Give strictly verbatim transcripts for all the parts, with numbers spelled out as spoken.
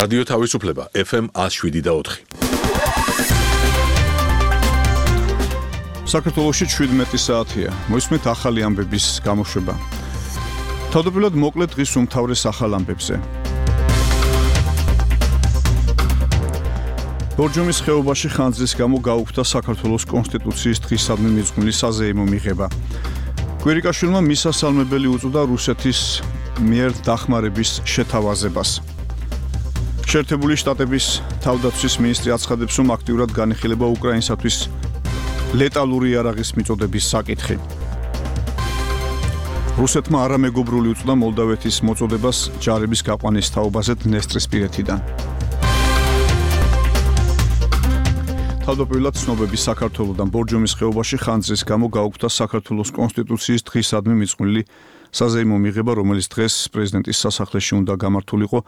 რადიო თავისუფლება ეფ ემ one oh seven და four. საქართველოში შვიდმეტი საათია. მოისმენთ ახალი ამბების გამოშვება. თავდაპირველად მოკლედ დღის უმთავრეს ახალ ამბებზე. ბორჯომის ხეობაში ხანძრის გამო გაუქმდა საქართველოს კონსტიტუციის დღისადმი მიძღვნილი საზეიმო მიღება. კვირიკაშვილმა მისასალმებელი უწოდა რუსეთის მიერ დახმარების შეთავაზებას. შეერთებული შტატების თავდაცვის მინისტრი აცხადებს, რომ აქტიურად განიხილება უკრაინისათვის ლეტალური იარაღის მიწოდების საკითხი. რუსეთმა არამეგობრული უწოდა მოლდავეთის მოწოდებას ჯარების გაყვანის თაობაზე დნესტრისპირეთიდან. თავდაპირველად ცნობები საქართველოდან ბორჯომის ხეობაში ხანძრის გამო გაუქმდა საქართველოს კონსტიტუციის დღისადმი მიძღვნილი საზეიმო მიღება, რომელიც დღეს პრეზიდენტის სასახლეში უნდა გამართულიყო.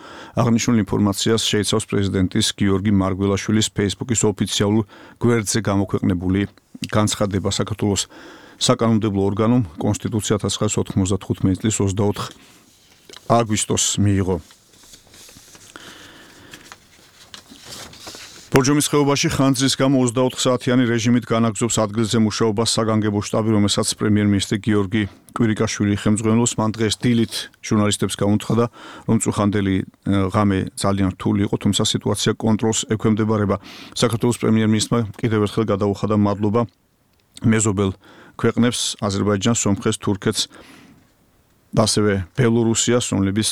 აღნიშნულ ინფორმაციას შეიცავს პრეზიდენტის გიორგი მარგველაშვილის ფეისბუქის ოფიციალურ გვერდზე გამოქვეყნებული განცხადება. საქართველოს საკანონმდებლო ორგანომ კონსტიტუცია one thousand nine hundred ninety-five წლის twenty-four აგვისტოს მიიღო. ბორჯომის ხეობაში ხანძრის გამო twenty-four საათიანი რეჟიმით განაგრძობს ადგილზე მუშაობას საგანგებო შტაბი, რომელსაც პრემიერ-მინისტრი გიორგი კვირიკაშვილი ხელმძღვანელობს. მან დღეს დილით ჟურნალისტებს გაუნთხა, რომ წუხანდელი ღამე ძალიან რთული იყო, თუმცა სიტუაცია კონტროლს ექვემდებარება. საქართველოს პრემიერ-მინისტრმა კიდევ ერთხელ გადაუხადა მადლობა მეზობელ ქვეყნებს, აზერბაიჯანს, სომხეთს, თურქეთს, ასევე ბელორუსიას, რომლებიც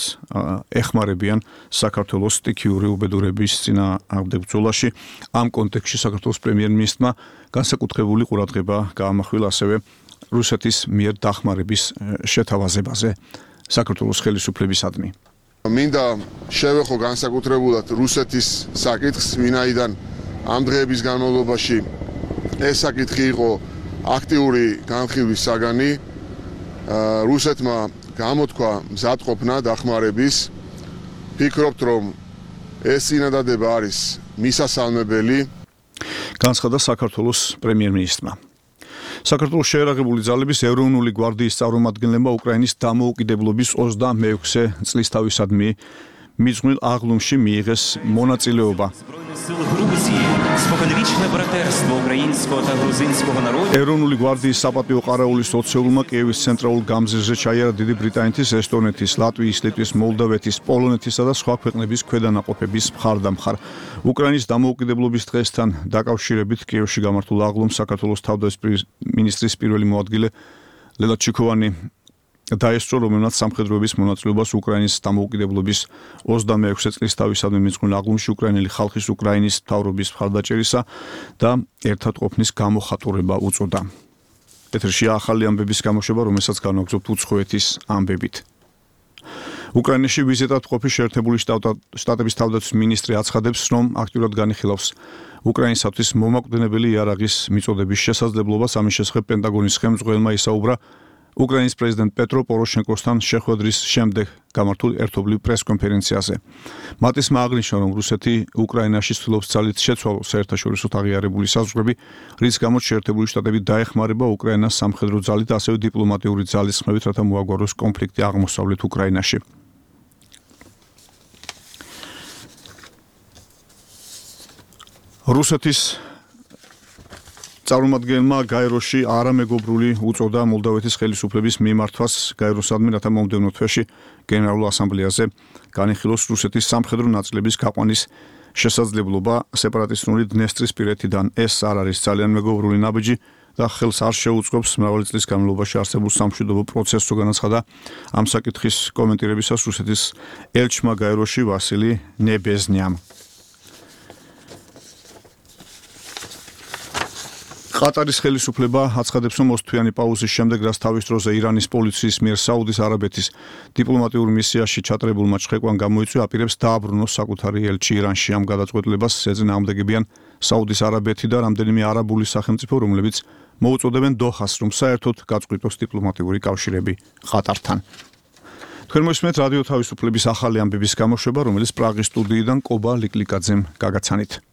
ეხმარებიან საქართველოს სტიქიური უბედურების წინააღმდეგ ბრძოლაში. ამ კონტექსტში საქართველოს პრემიერ-მინისტრმა განსაკუთრებული ყურადღება გაამახვილა ასევე რუსეთის მიერ დახმარების შეთავაზებაზე საქართველოს ხელისუფლებისადმი. მინდა შევეხო განსაკუთრებულად რუსეთის საკითხს, ვინაიდან ამ დღეების განმავლობაში ეს საკითხი იყო აქტიური განხილვის საგანი. რუსეთმა გამოთქვა მზადყოფნა დახმარების. ფიქრობთ, რომ ეს წინადადება არის მისასალმებელი. განცხადა საქართველოს პრემიერ-მინისტრმა. საქართველოს შეერაღებული ძალების ეროვნული გვარდიის წარმომადგენლებმა უკრაინის დამოუკიდებლობის ოცდამეექვსე წლისთავისადმი მიძღვნილ აღლუმში მიიღეს მონაწილეობა. ეროვნული გვარდიის საპატიო ყარაულის ოცეულმა კიევის ცენტრალურ გამზირზე ჩაიარა დიდი ბრიტანეთის, ესტონეთის, ლატვიის, ლიტვის, მოლდავეთის, პოლონეთისა და სხვა ქვეყნების ქვედანაყოფების მხარდამხარ. უკრაინის დამოუკიდებლობის დღესთან დაკავშირებით კიევში გამართულ აღლუმს საქართველოს თავდაცვის მინისტრის პირველი მოადგილე ლელა ჩიქოვანი დაესწრო, რომელმაც სამხედროების მონაწილეობას უკრაინის დამოუკიდებლობის ოცდამეექვსე წლისთავისადმი მიძღვნილ აღლუმში უკრაინელი ხალხის უკრაინის მთავრობის მხარდაჭერისა და ერთად ყოფნის გამოხატურება უწოდა. ეთერში ახალი ამბების გამოშვება, რომელსაც განვაგრძობთ უცხოეთის ამბებით. უკრაინაში ვიზიტად ყოფი შეერთებული შტატების თავდაცვის მინისტრი აცხადებს, რომ აქტიურად განიხილავს უკრაინისათვის მომაკვდინებელი იარაღის მიწოდების შესაძლებლობას. ამის შესახებ პენტაგონის ხელმძღვანელმა ისაუბრა უკრაინის პრეზიდენტ პეტრო პოროშენკოსთან შეხვედრის შემდეგ გამართულ ერთობლივ პრესკონფერენციაზე. მატისმა აღნიშნა, რომ რუსეთი უკრაინაში ცდილობს ძალით შეცვალოს საერთაშორისო აღიარებული საზღვრები, რის გამოც შეერთებული შტატები დაეხმარება უკრაინას სამხედრო ძალით, ასევე დიპლომატიური ძალისხმევით, რათა მოაგვაროს კონფლიქტი აღმოსავლეთ უკრაინაში. რუსეთის წარმომადგენელმა გაეროში არამეგობრული უწოდა მოლდავეთის ხელისუფლების მიმართვას გაეროსადმი, რათა მომდევნო თვეში გენერალურ ასამბლეაზე განიხილოს რუსეთის სამხედრო ნაწილების გაყვანის შესაძლებლობა სეპარატისტული დნესტრისპირეთიდან. ეს არ არის ძალიან მეგობრული ნაბიჯი და ხელს არ შეუწყობს მრავალი წლის განმავლობაში არსებულ სამშვიდობო პროცესს, განაცხადა ამ საკითხის კომენტირებისას რუსეთის ელჩმა გაეროში ვასილი ნებეზნიამ. ყატარის ხელისუფლება აცხადებს, რომ ოცთვიანი პაუზის შემდეგ, რაც თავის დროზე ირანის პოლიციის მიერ საუდის არაბეთის დიპლომატიურ მისიაში ჩატარებულმა ჩხეკვამ გამოიწვია, აპირებს დააბრუნოს საკუთარი ელჩი ირანში. ამ გადაწყვეტილებას ეწინააღმდეგებიან საუდის არაბეთი და რამდენიმე არაბული სახელმწიფო, რომლებიც მოუწოდებენ დოჰას, რომ საერთოდ გაწყვიტოს დიპლომატიური კავშირები ყატართან. თქვენ მოისმენთ რადიო თავისუფლების ახალი ამბების გამოშვება, რომელიც პრაღის სტუდიიდან კობა ლიკლიკაძემ გაგაცანით.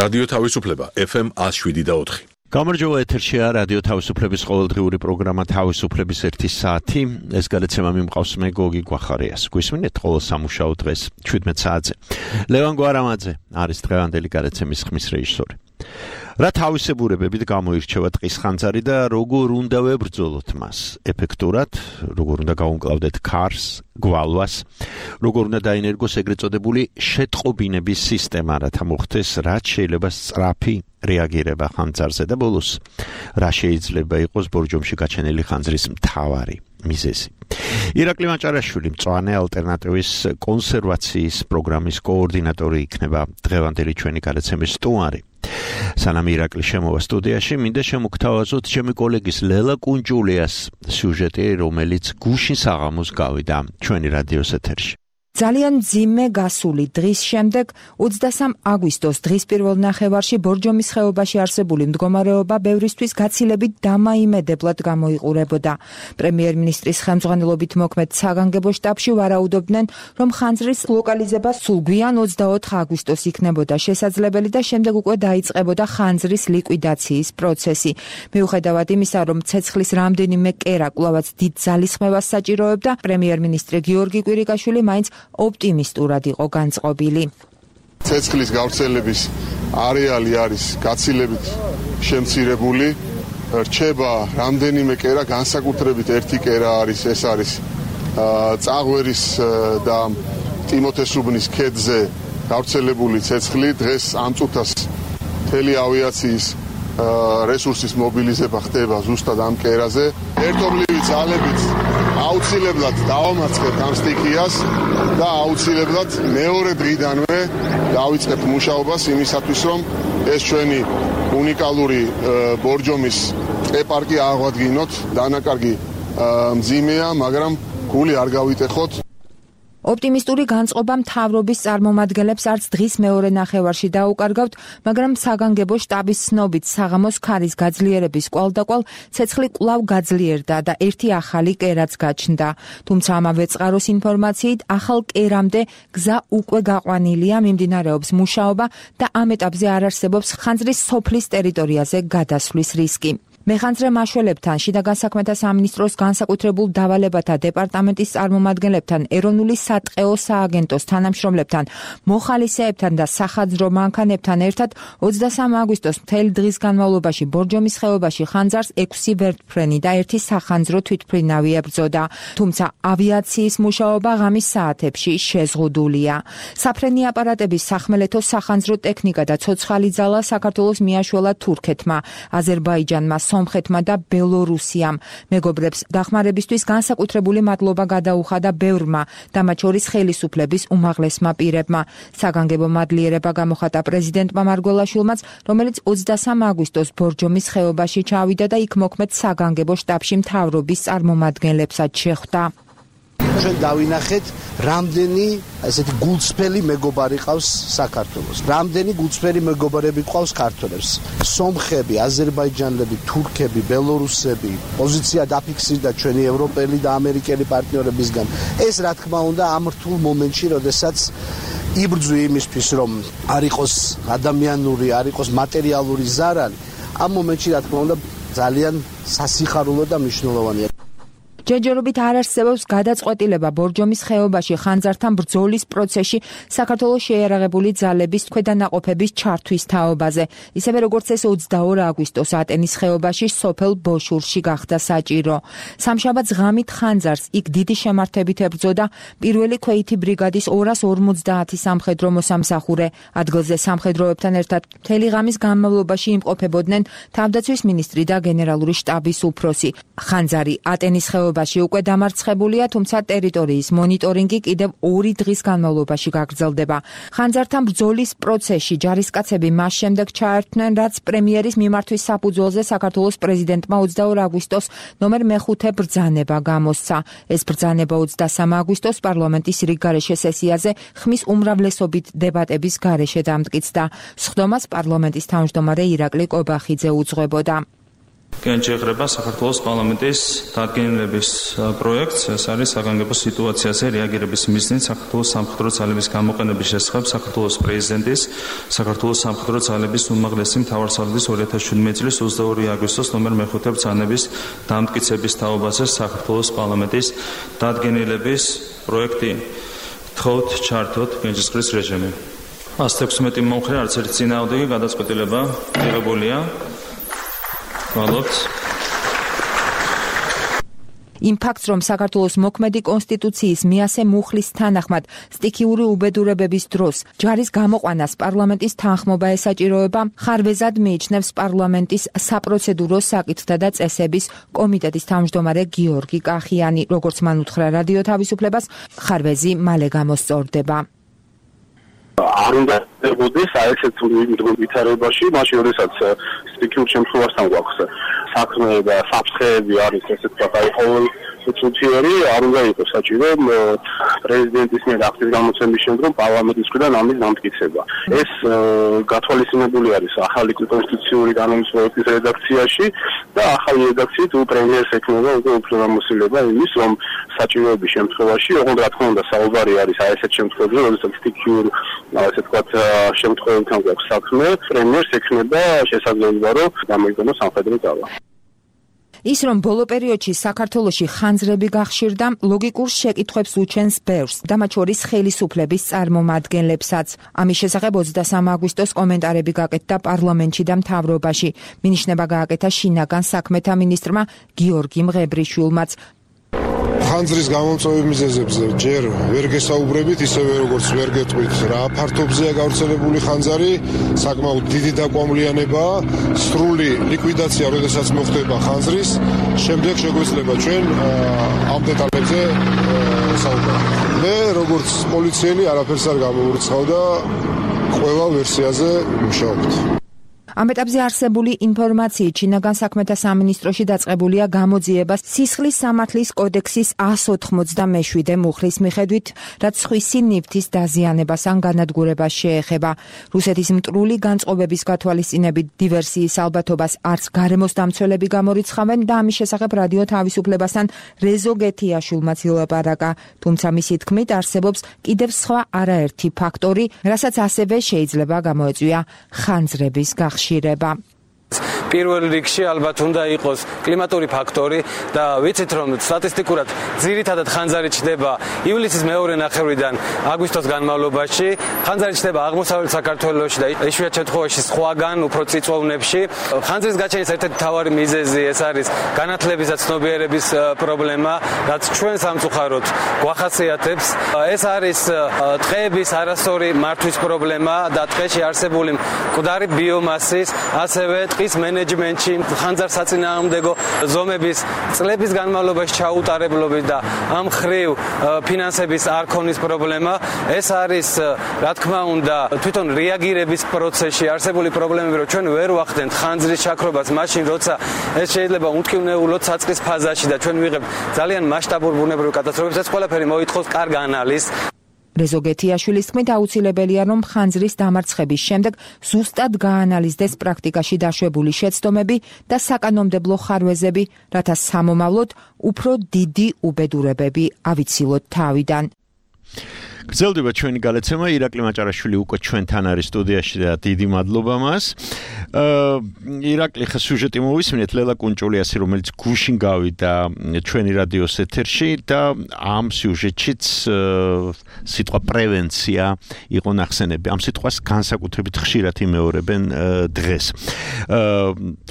რადიო თავისუფლება ეფ ემ one oh seven point four. გამარჯობა, ეთერშია რადიო თავისუფლების ყოველდღიური პროგრამა თავისუფლების ერთი საათი. ეს გადაცემა მიმყავს მე გოგი გვახარიას. გვისმინეთ ყოველ სამუშაო დღეს შვიდმეტ საათზე. ლევან გვარამაძე არის დღევანდელი გადაცემის ხმის რეჟისორი. რა თავისებურებებით გამოირჩევა ტყის ხანძარი და როგორ უნდა ვებრძოლოთ მას ეფექტურად, როგორ უნდა გავუმკლავდეთ ქარს, გვალვას, როგორ უნდა დაინერგოს ეგრეთ წოდებული შეტყობინების სისტემა, რათა მოხდეს რაც შეიძლება სწრაფი რეაგირება ხანძარზე და ბოლოს რა შეიძლება იყოს ბორჯომში გაჩენილი ხანძრის მთავარი მიზეზი. ირაკლი მაჭარაშვილი მწვანე ალტერნატივის კონსერვაციის პროგრამის კოორდინატორი იქნება დღევანდელი ჩვენი გადაცემის სტუმარი. სანამ ირაკლი შემოვა სტუდიაში, მინდა შემოგთავაზოთ ჩემი კოლეგის ლელა კუნჯულიას სიუჟეტი, რომელიც გუშინ საღამოს გავიდა ჩვენი რადიოს ეთერში. ძალიან მძიმე გასული დღის შემდეგ ოცდასამ აგვისტოს დღის პირველ ნახევარში ბორჯომის ხეობაში არსებული მდგომარეობა ბევრისთვის გაცილებით დამაიმედებლად გამოიყურებოდა. პრემიერ-მინისტრის ხელმძღვანელობით მოქმედ საგანგებო შტაბში ვარაუდობდნენ, რომ ხანძრის ლოკალიზება სულ გვიან ოცდაოთხ აგვისტოს იქნებოდა შესაძლებელი და შემდეგ უკვე დაიწყებოდა ხანძრის ლიკვიდაციის პროცესი. მიუხედავად იმისა, რომ ცეცხლის რამდენიმე კერა კვლავაც დიდ ძალისხმევას საჭიროებდა, პრემიერ-მინისტრი გიორგი კვირიკაშვილი მაინც ოპტიმისტურად იყო განწყობილი. ცეცხლის გავრცელების არეალი არის გაცილებით შემცირებული. რჩება რამდენიმე კერა, განსაკუთრებით ერთი კერა არის, ეს არის წაღვერის და ტიმოთესუბნის ქედზე გავრცელებული ცეცხლი. დღეს ამ წუთას მთელი ავიაციის რესურსის მობილიზება ხდება ზუსტად ამ კერაზე. ერთობლივი ძალებით აუცილებლად დავამარცხებთ ამ სტიქიას და აუცილებლად მეორე დღიდანვე დავიწყებთ მუშაობას იმისათვის, რომ ეს ჩვენი უნიკალური ბორჯომის ტყე-პარკი აღვადგინოთ. დანაკარგი მძიმეა, მაგრამ გული არ გავიტეხოთ. ოპტიმისტური განწყობა მთავრობის წარმომადგენლებს არც დღის მეორე ნახევარში დაუკარგავთ, მაგრამ საგანგებო შტაბის ცნობით საღამოს ქარის გაძლიერების კვალდაკვალ ცეცხლი კვლავ გაძლიერდა და ერთი ახალი კერაც გაჩნდა. თუმცა ამავე წყაროს ინფორმაციით ახალ კერამდე გზა უკვე გაყვანილია, მიმდინარეობს მუშაობა და ამ ეტაპზე არ არსებობს ხანძრის სოფლის ტერიტორიაზე გადასვლის რისკი. მეხანძრე მაშველებთან, შიდა განსაქმეთა სამინისტროს განსაკუთრებულ დავალებათა დეპარტამენტის წარმომადგენლებთან, ეროვნული სატყეო სააგენტოს თანამშრომლებთან, მოხალისეებთან და სახაძრო მანქანებთან ერთად ოცდასამ აგვისტოს მთელი დღის განმავლობაში ბორჯომის ხეობაში ხანძარს ექვსი ვერტმფრენი და ერთი სახანძრო თვითმფრინავი ებრძოდა. თუმცა ავიაციის მუშაობა ღამის საათებში შეზღუდულია. საფრენი აპარატების სახმელეთო სახანძრო ტექნიკა და ცოცხალი ძალა საქართველოს მიაშველა თურქეთმა, აზერბაიჯანმა, სომხეთმა და ბელორუსიამ. მეგობრებს დახმარებისთვის განსაკუთრებული მადლობა გადაუხადა ბევრმა და მათ შორის ხელისუფლების უმაღლესმა პირებმა. საგანგებო მადლიერება გამოხატა პრეზიდენტმა მარგველაშვილმაც, რომელიც ოცდასამ აგვისტოს ბორჯომის ხეობაში ჩავიდა და იქ მოქმედ საგანგებო შტაბში მთავრობის წარმომადგენლებსაც შეხვდა. ჩვენ დავინახეთ, რამდენი ესეთი გულწრფელი მეგობარი ყავს საქართველოს. რამდენი გულწრფელი მეგობარები ყავს ქართველებს. სომხები, აზერბაიჯანელები, თურქები, ბელორუსები, პოზიცია დაფიქსირდა ჩვენი ევროპელი და ამერიკელი პარტნიორებისგან. ეს რა თქმა უნდა ამ რთულ მომენტში, როდესაც იბრძვი იმისთვის, რომ არ იყოს ადამიანური, არ იყოს მატერიალური ზარალი, ამ მომენტში რა თქმა უნდა ძალიან სასიხარულო და მნიშვნელოვანია. ჯერჯერობით არ არსებობს გადაწყვეტილება ბორჯომის ხეობაში ხანძართან ბრძოლის პროცესში საქართველოს შეიარაღებული ძალების ქვედანაყოფების ჩართვის თაობაზე, ისევე როგორც ეს ოცდაორ აგვისტოს ატენის ხეობაში სოფელ ბოშურში გახდა საჭირო. სამშაბათს ღამით ხანძარს იქ დიდი შემართებით ებრძოდა პირველი ქვეითი ბრიგადის ორას ორმოცდაათი სამხედრო მოსამსახურე. ადგილზე სამხედროებთან ერთად მთელი ღამის განმავლობაში იმყოფებოდნენ თავდაცვის მინისტრი და გენერალური შტაბის უფროსი. ხანძარი ატენის ხეობაში უკვე დამარცხებულია, თუმცა ტერიტორიის მონიტორინგი კიდევ ორი დღის განმავლობაში გაგრძელდება. ხანძართან ბრძოლის პროცესში ჯარისკაცები მას შემდეგ ჩაერთვნენ, რაც პრემიერის მიმართვის საფუძველზე საქართველოს პრეზიდენტმა ოცდაორ აგვისტოს ნომერ მეხუთე ბრძანება გამოსცა. ეს ბრძანება ოცდასამ აგვისტოს პარლამენტის რიგგარეშე სესიაზე ხმის უმრავლესობით დებატების გარეშე დამტკიცდა. სხდომას პარლამენტის თავმჯდომარე ირაკლი კობახიძე უძღვებოდა. განჭირება საქართველოს პარლამენტის დადგენილების პროექტს, ეს არის საგანგებო სიტუაციაზე რეაგირების მიზნით საქართველოს სამხედრო ძალების გამოყენების შესახებ საქართველოს პრეზიდენტის, საქართველოს სამხედრო ძალების უმაღლესი მთავარსარდლის ორი ათას შვიდმეტი წლის ოცდაორი აგვისტოს ნომერ მეხუთე ბრძანების დამტკიცების თაობაზე საქართველოს პარლამენტის დადგენილების პროექტი. გთხოვთ ჩართოთ განჭისყრის რეჟიმი. ას ექვსმეტი მომხრე არც ერთი წინააღმდეგი გადაწყვეტილება მიღებულია. იმ ფაქტს, რომ საქართველოს მოქმედი კონსტიტუციის მიასე მუხლის თანახმად სტიქიური უბედურებების დროს ჯარის გამოყვანას პარლამენტის თანხმობა ესაჭიროება, ხარვეზად მიიჩნევს პარლამენტის საპროცედურო საკითხთა და წესების კომიტეტის თავმჯდომარე გიორგი კახიანი. როგორც მან უთხრა რადიო თავისუფლებას, ხარვეზი მალე გამოსწორდება. არ უნდა დებოდეს აი ესეთ ვითარებაში, მაშინ როდესაც სტიქიურ შემთხვევასთან გვაქვს საქმე და საფრთხეები არის ესე ვთქვათ, აი ყოველ სუციერი არ უნდა იყოს საჭირო პრეზიდენტის მიერ აქტის გამოცემის შემდგომ პარლამენტის მხრიდან ამის დამტკიცება. ეს გათვალისწინებული არის ახალი კონსტიტუციური კანონის პროექტის რედაქციაში და ახალი რედაქციით პრემიერს ექნება უკვე უფლებამოსილება იმის, რომ საჭიროების შემთხვევაში, ოღონდ რა თქმა უნდა საუბარი არის აი ესეთ შემთხვევებში, როდესაც სტიქიურ ასე ვთქვათ შემთხვევებთან გვაქვს საქმე, პრემიერს ექნება შესაძლებლობა, რომ გამოიგონოს სამხედრო ძალა. ის, რომ ბოლო პერიოდში საქართველოში ხანძრები გახშირდა, ლოგიკურ შეკითხვებს უჩენს ბევრს და მათ შორის ხელისუფლების წარმომადგენლებსაც. ამის შესახებ ოცდასამი აგვისტოს კომენტარები გაკეთდა პარლამენტში და მთავრობაში. მინიშნება გააკეთა შინაგან საქმეთა მინისტრმა გიორგი მღებრიშვილმაც. ხანძრის გამომწვევი მიზეზებზე ჯერ ვერ გესაუბრებით, ისევე როგორც ვერ გეტყვით რა ფართობზეა გავრცელებული ხანძარი, საკმაოდ დიდი დაკვამლიანებაა, სრული ლიკვიდაცია, როდესაც მოხდება ხანძრის, შემდეგ შეგვეძლება ჩვენ ამ დეტალებზე საუბარი. მე როგორც პოლიციელი არაფერს არ გამოვურცხავ და ყველა ვერსიაზე მუშაობთ. ამ ეტაპზე არსებული ინფორმაციით შინაგან საქმეთა სამინისტროში დაწყებულია გამოძიება სისხლის სამართლის კოდექსის ას ოთხმოცდამეშვიდე მუხლის მიხედვით, რაც სხვისი ნივთის დაზიანებას ან განადგურებას შეეხება. რუსეთის მტრული განწყობების გათვალისწინებით დივერსიის ალბათობას არც გარემოს დამცველები გამორიცხავენ და ამის შესახებ რადიო თავისუფლებასთან რეზო გეთიაშვილმაც ილაპარაკა, თუმცა მისი თქმით არსებობს კიდევ სხვა არაერთი ფაქტორი, რასაც ასევე შეიძლება გამოეწვია ხანძრების გახსნა. შირება. პირველ რიგში ალბათ უნდა იყოს კლიმატური ფაქტორი და ვიცით რომ სტატისტიკურად ძირითადად ხანძარი ჩნდება ივლისის მეორე ნახევრიდან აგვისტოს განმავლობაში, ხანძარი ჩნდება აღმოსავლეთ საქართველოში და იშვიათ შემთხვევაში სხვაგან უფრო წიწვოვნებში. ხანძრის გაჩენის ერთ-ერთი მთავარი მიზეზი ეს არის განათლების და ცნობიერების პრობლემა, რაც ჩვენ სამწუხაროდ გვახასიათებს. ეს არის ტყეების არასწორი მართვის პრობლემა და ტყეში არსებული მკვდარი ბიომასის, ასევე ტყის მენეჯმენტში ხანძარს საწინააღმდეგო ზომების წლების განმავლობაში ჩაუტარებლობით და ამ ხრივ ფინანსების არ ქონის პრობლემა. ეს არის რა თქმა უნდა თვითონ რეაგირების პროცესში არსებული პრობლემები, რომ ჩვენ ვერ ვახდენთ ხანძრის ჩაქრობას მაშინ, როცა ეს შეიძლება უმტკივნეულოდ საწყის ფაზაში და ჩვენ ვიღებთ ძალიან მასშტაბურ ბუნებრივ კატასტროფებს. ეს ყველაფერი მოითხოვს კარგ ანალიზს. რეზო გეთიაშვილის თქმით, აუცილებელია, რომ ხანძრის დამარცხების შემდეგ ზუსტად გაანალიზდეს პრაქტიკაში დაშვებული შეცდომები და საკანონმდებლო ხარვეზები, რათა სამომავლოდ უფრო დიდი უბედურებები ავიცილოთ თავიდან. გრძელდება ჩვენი გადაცემა. ირაკლი მაჭარაშვილი უკვე ჩვენთან არის სტუდიაში და დიდი მადლობა მას. ირაკლი, ხა სიუჟეტი მოვისმინეთ ლელა კუნჭულიასი, რომელიც გუშინ გავიდა ჩვენი რადიოს ეთერში და ამ სიუჟეტშიც სიტყვა პრევენცია იყო ნახსენები. ამ სიტყვას განსაკუთრებით ხშირად იმეორებენ დღეს.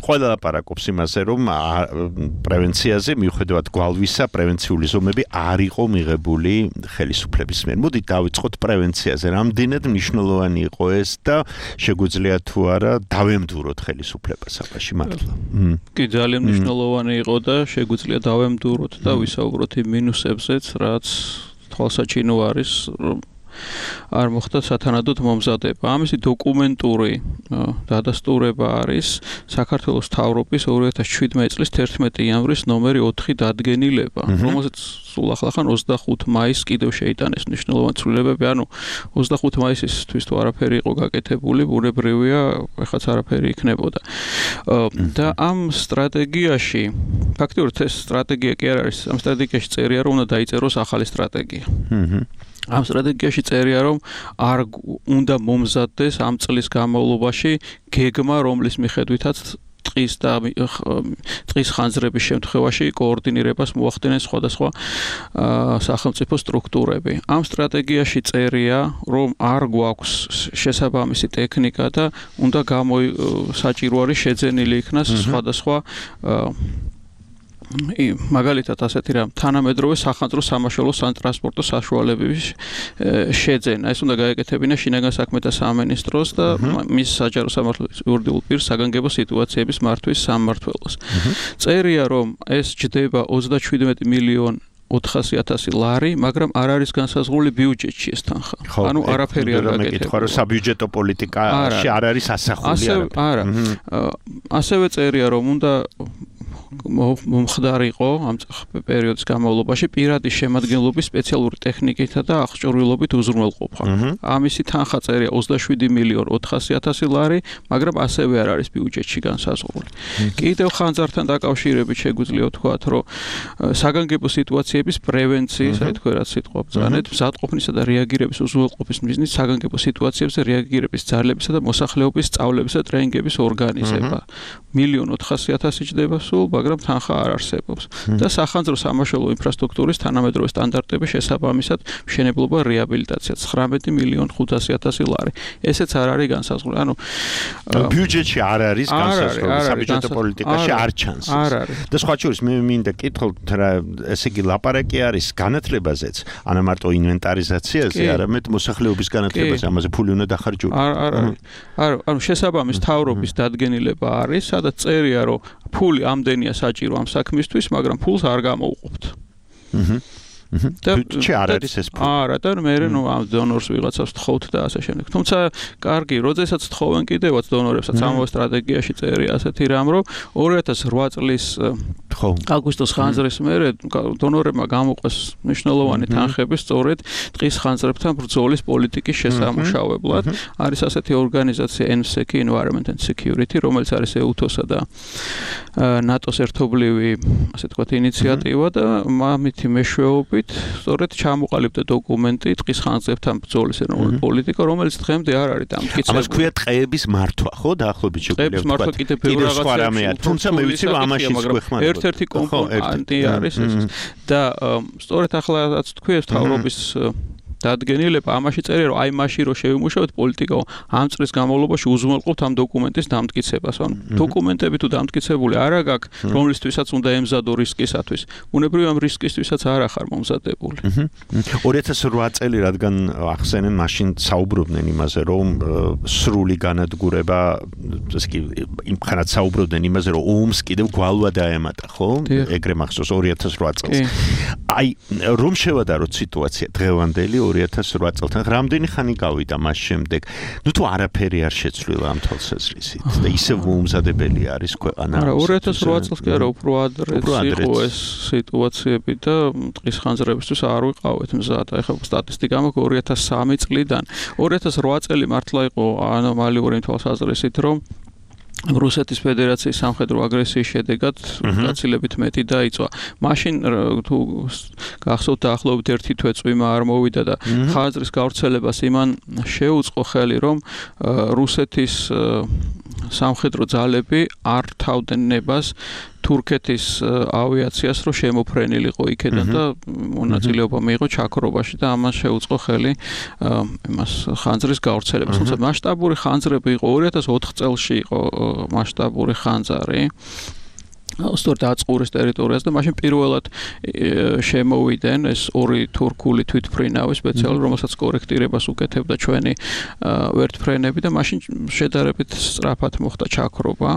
ყველა ლაპარაკობს იმაზე, რომ პრევენციაზე მიუხედავად გვალვისა, პრევენციული ზომები არ იყო მიღებული ხელისუფლების მიერ. მოდი დავიწყოთ პრევენციაზე. რამდენად მნიშვნელოვანი იყო ეს და შეგვიძლია თუ არა დავემდუროთ ხელისუფლებას აფაში მართლა? კი, ძალიან მნიშვნელოვანი იყო და შეგვიძლია დავემდუროთ და ვისაუბროთ იმ მინუსებზეც, რაც თვალსაჩინო არის, რომ არ მოხდა სათანადოდ მომზადება. ამისი დოკუმენტური დადასტურება არის საქართველოს მთავრობის ორი ათას შვიდმეტი წლის თერთმეტი იანვრის ნომერი ოთხი დადგენილება, რომელზეც სულ ახლახან ოცდახუთი მაისს კიდევ შეიტანეს მნიშვნელოვანი ცვლილებები, ანუ ოცდახუთი მაისისთვის თუ არაფერი იყო გაკეთებული, ბუნებრივია, ეხაც არაფერი იქნებოდა. და ამ სტრატეგიაში, ფაქტობრივად ეს სტრატეგია კი არ არის, ამ სტრატეგიაში წერია, რომ უნდა დაიწეროს ახალი სტრატეგია. ამ სტრატეგიაში წერია, რომ არ უნდა მომზადდეს ამ წლის განმავლობაში გეგმა, რომლის მიხედვითაც ტყის და ტყის ხანძრების შემთხვევაში კოორდინირებას მოახდინეს სხვადასხვა სახელმწიფო სტრუქტურები. ამ სტრატეგიაში წერია, რომ არ გვაქვს შესაბამისი ტექნიკა და უნდა საჭირო არის შეძენილი იქნას სხვადასხვა მაგალითად ასეთი რამ თანამედროვე სახანძრო სამაშველო სატრანსპორტო საშუალებების შეძენა. ეს უნდა გაეკეთებინა შინაგან საქმეთა სამინისტროს და მის საჯარო სამართლის იურიდიულ პირს საგანგებო სიტუაციების მართვის სამმართველოს. წერია, რომ ეს ჯდება ოცდაშვიდმეტი მილიონი ოთხასი ათასი ლარი, მაგრამ არ არის განსაზღვრული ბიუჯეტში ეს თანხა. ანუ არაფერი არ გაკეთებულა. ხო, საბიუჯეტო პოლიტიკაში არ არის ასახული არა. ასევე წერია, რომ უნდა მომხდარიყო ამ პერიოდის განმავლობაში პირადი შემადგენლობის სპეციალური ტექნიკითა და აღჭურვილობით უზრუნველყოფა. ამისი თანხა წერია ოცდაშვიდი მილიონი ოთხასი ათასი ლარი, მაგრამ ასევე არ არის ბიუჯეტში განსაზღვრული. კიდევ ხანძართან დაკავშირებით შეგვიძლია ვთქვათ, რომ საგანგებო სიტუაციების პრევენციის, აი თქვენ რაც სიტყვა ბრძანეთ, მზადყოფნისა და რეაგირების უზრუნველყოფის მიზნით საგანგებო სიტუაციებზე რეაგირების ძალებისა და მოსახლეობის სწავლებისა და ტრენინგების ორგანიზება. მილიონი ოთხასი ათასი ჯდება სულ, მაგრამ თანხა არ არსებობს. და სახანძრო სამაშველო ინფრასტრუქტურის თანამედროვე სტანდარტების შესაბამისად მშენებლობა რეაბილიტაცია ცხრამეტი მილიონი ხუთასი ათასი ლარი. ესეც არ არის განსაზღვრული. ანუ ბიუჯეტში არ არის განსაზღვრული, საბიუჯეტო პოლიტიკაში არ ჩანს. და სხვა შორის მე მინდა კითხოთ რა, ესე იგი ლაპარაკი არის განათლებაზეც, არა მარტო ინვენტარიზაციაზე, არამედ მოსახლეობის განათლებაზე, ამაზე ფული უნდა დახარჯულიყო. არ არ არ ანუ შესაბამის მთავრობის დადგენილება არის, სადაც წერია, რომ ფული ამდენია საჭირო ამ საქმისთვის, მაგრამ ფულს არ გამოვუყოფთ. აჰა. და ჩე არ არის ეს ფული. არა, და მე ნუ ამ დონორს ვიღაცას თხოვთ და ასე შემდეგ. თუმცა კარგი, როდესაც თხოვენ კიდევაც დონორებსაც ამავე სტრატეგიაში წერია ასეთი რამ, რომ ორი ათას რვა წლის აგვისტოს ხანძრის მერე დონორებმა გამოყვეს მნიშვნელოვანი თანხები სწორედ ტყის ხანძრებთან ბრძოლის პოლიტიკის შესამუშავებლად. არის ასეთი ორგანიზაცია ენ ეს ე-ი Environment and Security, რომელიც არის ე უ თო-სა და ნატოს ერთობლივი, ასე თქვათ, ინიციატივა და მამითი მეშვეობით სწორედ ჩამოყალიბდა დოკუმენტი ტყის ხანძრებთან ბრძოლის ეროვნული პოლიტიკა, რომელიც დღემდე არ არის დამტკიცებული. ამას ქვია ტყეების მართვა, ხო, დაახლოებით შეგვიძლია ვთქვათ. ტყეების მართვა კიდე ბევრი რაღაცაა, თუმცა მე ვიცი რომ ამაში გვეხმარება. ერთ-ერთი კომპონენტი არის ეს. და სწორედ ახლაც თქვი ეს თავრობის დადგენილება ამაში წერია, რომ აი მაშინ რომ შევიმუშავოთ პოლიტიკა, ამ წლის განმავლობაში უზრუნველყოფთ ამ დოკუმენტის დამტკიცებას. ანუ დოკუმენტები თუ დამტკიცებული არა გაქვს, რომლისთვისაც უნდა ემზადო რისკისათვის. ბუნებრივია ამ რისკისთვისაც არ ახარ მომზადებული. ორი ათას რვა წელი რადგან ახსენენ, მაშინ საუბრობდნენ იმაზე, რომ სრული განადგურება, ესე იგი, იმხანად საუბრობდნენ იმაზე, რომ ომს კიდევ გვალვა დაემატა, ხო? ეგრე მახსოვს ორი ათას რვა წელს. აი, რომ შევადაროთ სიტუაცია დღევანდელი ორი ათას რვა წელთან, რამდენი ხანი გავიდა მას შემდეგ? ნუ თუ არაფერი არ შეცვლილა ამ თვალსაზრისით და ისევ მოუმზადებელი არის ქვეყანა. არა, ორი ათას რვა წელს კი არა, უფრო ადრეც იყო ეს სიტუაციები და ტყის ხანძრებისთვის არ ვიყავით მზად. ეხლა სტატისტიკა მაქვს ორი ათას სამი წლიდან. ორი ათას რვა წელი მართლა იყო ანომალიური თვალსაზრისით, რომ რუსეთის ფედერაციის სამხედრო აგრესიის შედეგად გაცილებით მეტი დაიწვა. მაშინ თუ გახსოვთ დაახლოებით ერთი თვე წვიმა არ მოვიდა და ხაზრის გავრცელებას იმან შეუწყო ხელი, რომ რუსეთის სამხედრო ძალები არ თავდნენ ნებას თურქეთის ავიაციას, რომ შემოფრენილიყო იქედან და მონაწილეობა მიიღო ჩაქრობაში და ამას შეუწყო ხელი იმას ხანძრის გავრცელებას. თუმცა მასშტაბური ხანძრები იყო ორი ათას ოთხ წელში იყო მასშტაბური ხანძარი. სწორედ აწყურის ტერიტორიას და მაშინ პირველად შემოვიდნენ ეს ორი თურქული თვითფრინავი სპეციალური, რომელსაც კორექტირებას უკეთებდა ჩვენი ვერტფრენები და მაშინ შედარებით სწრაფად მოხდა ჩაქრობა.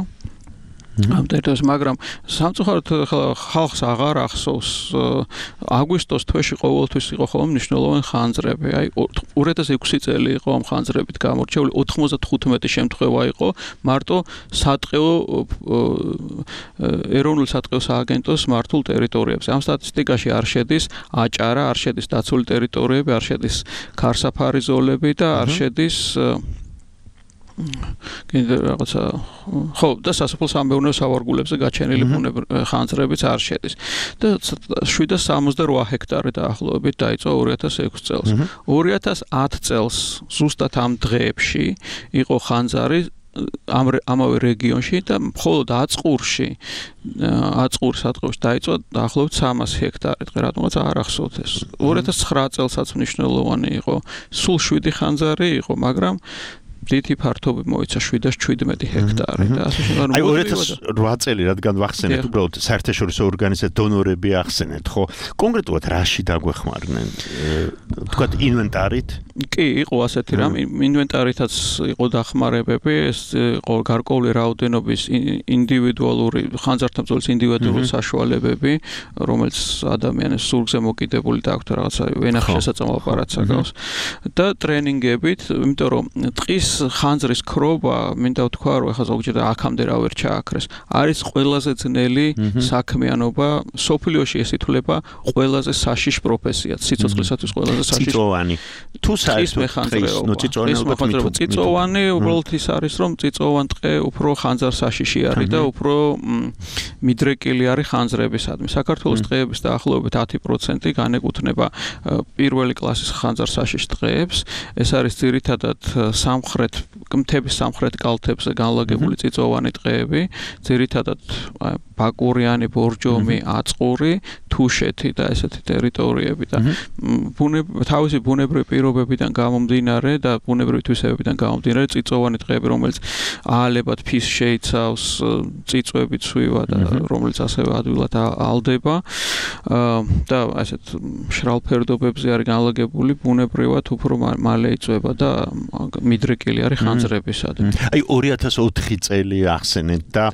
ამ ტერიტორიაზე, მაგრამ სამწუხაროდ ხალხს აღარ ახსოვს აგვისტოს თვეში ყოველთვის იყო ხოლმე მნიშვნელოვანი ხანძრები. აი ორი ათას ექვსი წელი იყო ამ ხანძრებით გამორჩეული, ოთხმოცდათხუთმეტი შემთხვევა იყო მარტო სატყეო ეროვნული სატყეო სააგენტოს მართულ ტერიტორიებზე. ამ სტატისტიკაში არ შედის აჭარა, არ შედის დაცული ტერიტორიები, არ შედის ქარსაფარი ზოლები და არ შედის კიდე რაღაცა ხო და სასოფლო სამეურნეო სავარგულებზე გაჩენილი ბუნებრივი ხანძრებიც არ შედის და შვიდ სამოცდაოთხ ჰექტარი დაახლოებით დაიწყო ორი ათას ექვსი წელს. ორი ათას ათი წელს ზუსტად ამ დღეებში იყო ხანძარი ამ ამავე რეგიონში და მხოლოდ აწყურში აწყურის სატყეოში დაიწყო დაახლოებით სამას ჰექტარი. დღე რატომაც არ ახსოვთ ეს. ორი ათას ცხრა წელსაც მნიშვნელოვანი იყო. სულ შვიდი ხანძარი იყო, მაგრამ დიდი ფართობი მოიცა შვიდ ას შვიდმეტი ჰექტარი და ასე შემდგომ. აი ორი ათას ოთხ წელი რადგან ვახსენეთ, უბრალოდ საერთაშორისო ორგანიზაცია დონორები ახსენეთ, ხო? კონკრეტულად რაში დაგვეხმარნენ? თქვათ ინვენტარით? კი, იყო ასეთი რამ, ინვენტარითაც იყო დახმარებები, ეს იყო გარკვეული რაოდენობის ინდივიდუალური ხანძართან ბრძოლის ინდივიდუალური საშუალებები, რომელიც ადამიანის სულზე მოკიდებული და აქვს რაღაცა ვენახი შესაძლო აპარატს აკავს და ტრენინგებით, იმიტომ რომ ტყის ხანძრის ქრობა, მინდა ვთქვა, რომ ეხლა ზოგჯერ აქამდე რა ვერ ჩააქრეს. არის ყველაზე ძნელი საქმიანობა, სოფლიოში ეს ითვლება ყველაზე საშიშ პროფესიად, სიცოცხლისათვის ყველაზე საშიშ. წიწოვანი. თუ საერთოდ წიწოვანი უბრალოდ ის არის, რომ წიწოვან ტყე უფრო ხანძარ საშიში არის და უფრო მიდრეკილი არის ხანძრებისადმი. საქართველოს ტყეების დაახლოებით ათი პროცენტი განეკუთვნება პირველი კლასის ხანძარ საშიშ ტყეებს. ეს არის ძირითადად სამხრეთ მთების სამხრეთ კალთებზე განლაგებული წიწოვანი ტყეები, ძირითადად ბაკურიანი, ბორჯომი, აწყური, თუშეთი და ესეთი ტერიტორიები და თავისი ბუნებრივი პირობებიდან გამომდინარე და ბუნებრივი თვისებებიდან გამომდინარე წიწოვანი ტყეები, რომელიც აალებად ფის შეიცავს, წიწვები ცვივა და რომელიც ასევე ადვილად ალდება და ასეთ მშრალ ფერდობებზე არის განლაგებული, ბუნებრივად უფრო მალე იწვება და მიდრეკილი არის ხანძრებისადმი. აი ორი ათას ოთხი წელი ახსენეთ და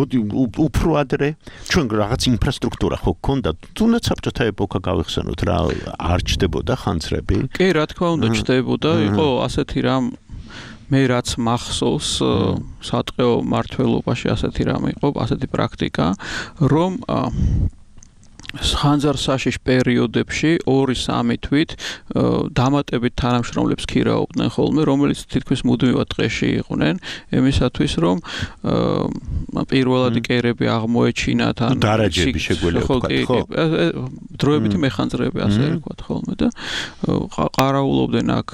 მოდი უფრო ადრე ჩვენ რაღაც ინფრასტრუქტურა ხო გქონდა, თუნდაც საბჭოთა ეპოქა გავიხსენოთ რა, არ ჩდებოდა ხანძრები? კი, რა თქმა უნდა ჩდებოდა, იყო ასეთი რამ მე რაც მახსოვს სატყეო მართლობაში ასეთი რამ იყო, ასეთი პრაქტიკა, რომ ხანძარ საშიშ პერიოდებში ორი სამი თვით დამატებით თანამშრომლებს ქირაობდნენ ხოლმე, რომელიც თითქმის მუდმივად ტყეში იყვნენ, იმისათვის რომ პირველადი კერები აღმოეჩინათ ან დარაჯები შეგვიძლია ვთქვათ, ხო? დროებითი მეხანძრები ასე ვთქვათ ხოლმე და ყარაულობდნენ აქ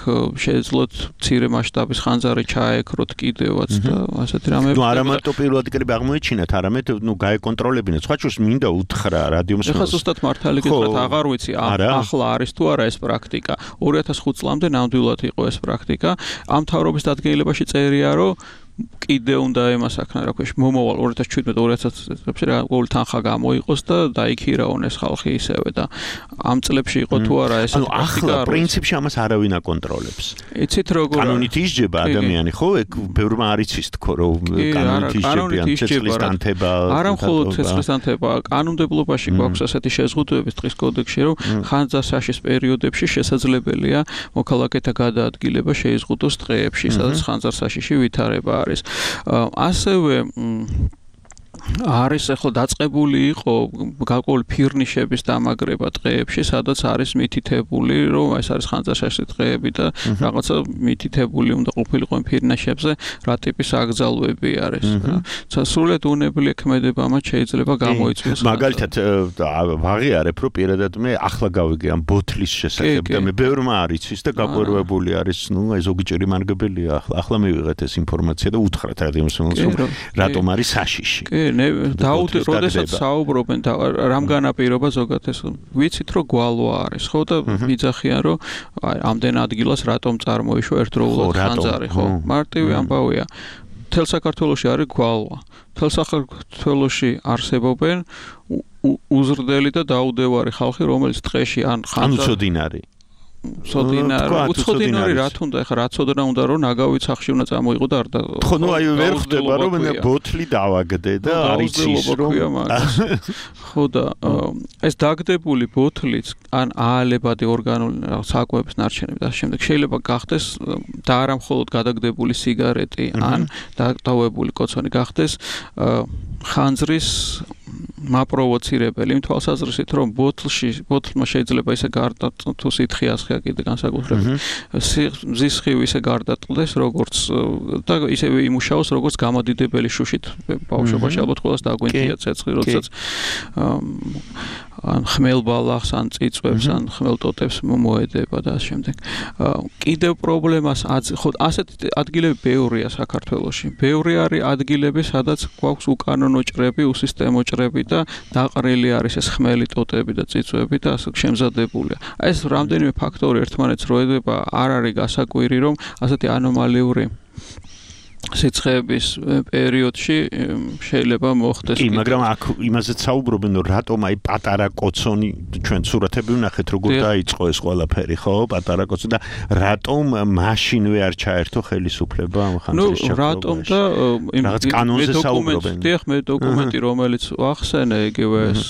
შეეძლოთ მცირე მასშტაბის ხანძარი ჩაეკროთ კიდევაც და ასეთი რამები. ნუ არა მარტო პირველადი კერები აღმოეჩინათ, არამედ ნუ გაეკონტროლებინათ. სხვა შორის მინდა უთხრა რადიომს ზუსტად მართალი გითხრათ, აღარ ვიცი ახლა არის თუ არა ეს პრაქტიკა. ორი ათას ხუთი წლამდე ნამდვილად იყო ეს პრაქტიკა. ამ მთავრობის დადგენილებაში წერია, რომ კიდე უნდა ემასაქნა რა ქვია მომავალ ორი ათას შვიდმეტი ორი ათას წლებში რა ყოველი თანხა გამოიყოს და დაიქირაონ ეს ხალხი ისევე და ამ წლებში იყო თუ არა ეს ანუ ახლა პრინციპში ამას არავინ აკონტროლებს. იცით როგორ კანონით ისჯება ადამიანი, ხო? ეგ ბევრმა არ იცის თქო რომ კანონით ისჯებიან ცეცხლის დანთება. არა მხოლოდ ცეცხლის დანთება, კანონმდებლობაში გვაქვს ასეთი შეზღუდვები ტყის კოდექსში, რომ ხანძარ საშიშ პერიოდებში შესაძლებელია მოქალაქეთა გადაადგილება შეიზღუდოს ტყეებში, სადაც ხანძარ საშიში ვითარება არის. ასევე არის ახლა დაწყებული იყო გარკვეული ფირნიშების დამაგრება ტყეებში, სადაც არის მითითებული, რომ ეს არის ხანძარშაში ტყეები და რაღაცა მითითებული უნდა ყოფილიყო ფირნიშებზე, რა ტიპის აკრძალვები არის. სრულიად უნებელი ქმედება მათ შეიძლება გამოიწვიოს. მაგალითად ვაღიარებ, რომ პირადად მე ახლა გავიგე ამ ბოთლის შესახებ და მე ბევრმა არ იცის და გაყვერვებული არის, ნუ აი ზოგიერთი მარგებელია ახლა. ახლა მივიღეთ ეს ინფორმაცია და უთხრათ რადიომსმენელს, რომ რატომ არის საშიში. დაუდე როდესაც საუბრობენ და რამ განაპირობა ზოგადად ეს ვიცით რომ გვალვა არის ხო და მიძახიან რომ აი ამდენ ადგილას რატომ წარმოიშვა ერთდროულად ხანძარი ხო მარტივი ამბავია თელ საქართველოში არის გვალვა თელ საქართველოში არსებობენ უზრდელი და დაუდევარი ხალხი რომელიც ტყეში ან ხანძარი ცოდინარი, უცოდინარი რა თუნდა, ეხლა რა ცოდნა უნდა რომ ნაგავი სახში უნდა წამოიღო და არ და ხო ნუ აი ვერ ხდება რომ ბოთლი დავაგდე და არის ის რომ ხო და ეს დაგდებული ბოთლიც ან აალებადი ორგანული საკვების ნარჩენები და შემდეგ შეიძლება გახდეს და არა მხოლოდ გადაგდებული სიგარეტი ან დატოვებული კოცონი გახდეს ხანძრის მაპროვოცირებელი იმ თვალსაზრისით რომ ბოთლში ბოთლმა შეიძლება ისე გარდა თუ სითხე ასხია კიდე განსაკუთრებით მზის სხივი ისე გარდატყდეს როგორც და ისევე იმუშაოს როგორც გამოდიდებელი შუშით ბავშვობაში ალბათ ყველას დაგვინდია ცეცხლი როდესაც ან ხმელბალახს ან წიწვებს ან ხმელტოტებს მოედება და ამ შემდეგ კიდევ პრობლემას ხო ასეთი ადგილები ბევრია საქართველოში ბევრი არის ადგილები სადაც გვაქვს უკანონო ჭრები უსისტემო ჭრები და დაყრილი არის ეს ხმელი ტოტები და წიწვები და ასე შემზადებულია ეს რამდენიმე ფაქტორი ერთმანეთს როედება არ არის გასაკვირი რომ ასეთი ანომალიური სიცხეების პერიოდში შეიძლება მოხდეს. კი, მაგრამ აქ იმაზეც საუბრობენ, რომ რატომ აი პატარა კოცონი ჩვენ სურათები ვნახეთ, როგორ დაიწყო ეს ყველაფერი, ხო? პატარა კოცონი და რატომ მაშინვე არ ჩაერთო ხელისუფლება ამ ხანძრის ჩაქრობაში? ნუ რატომ და რაღაც კანონზე საუბრობენ. დიახ, მე დოკუმენტი რომელიც ვახსენე, იგივე ეს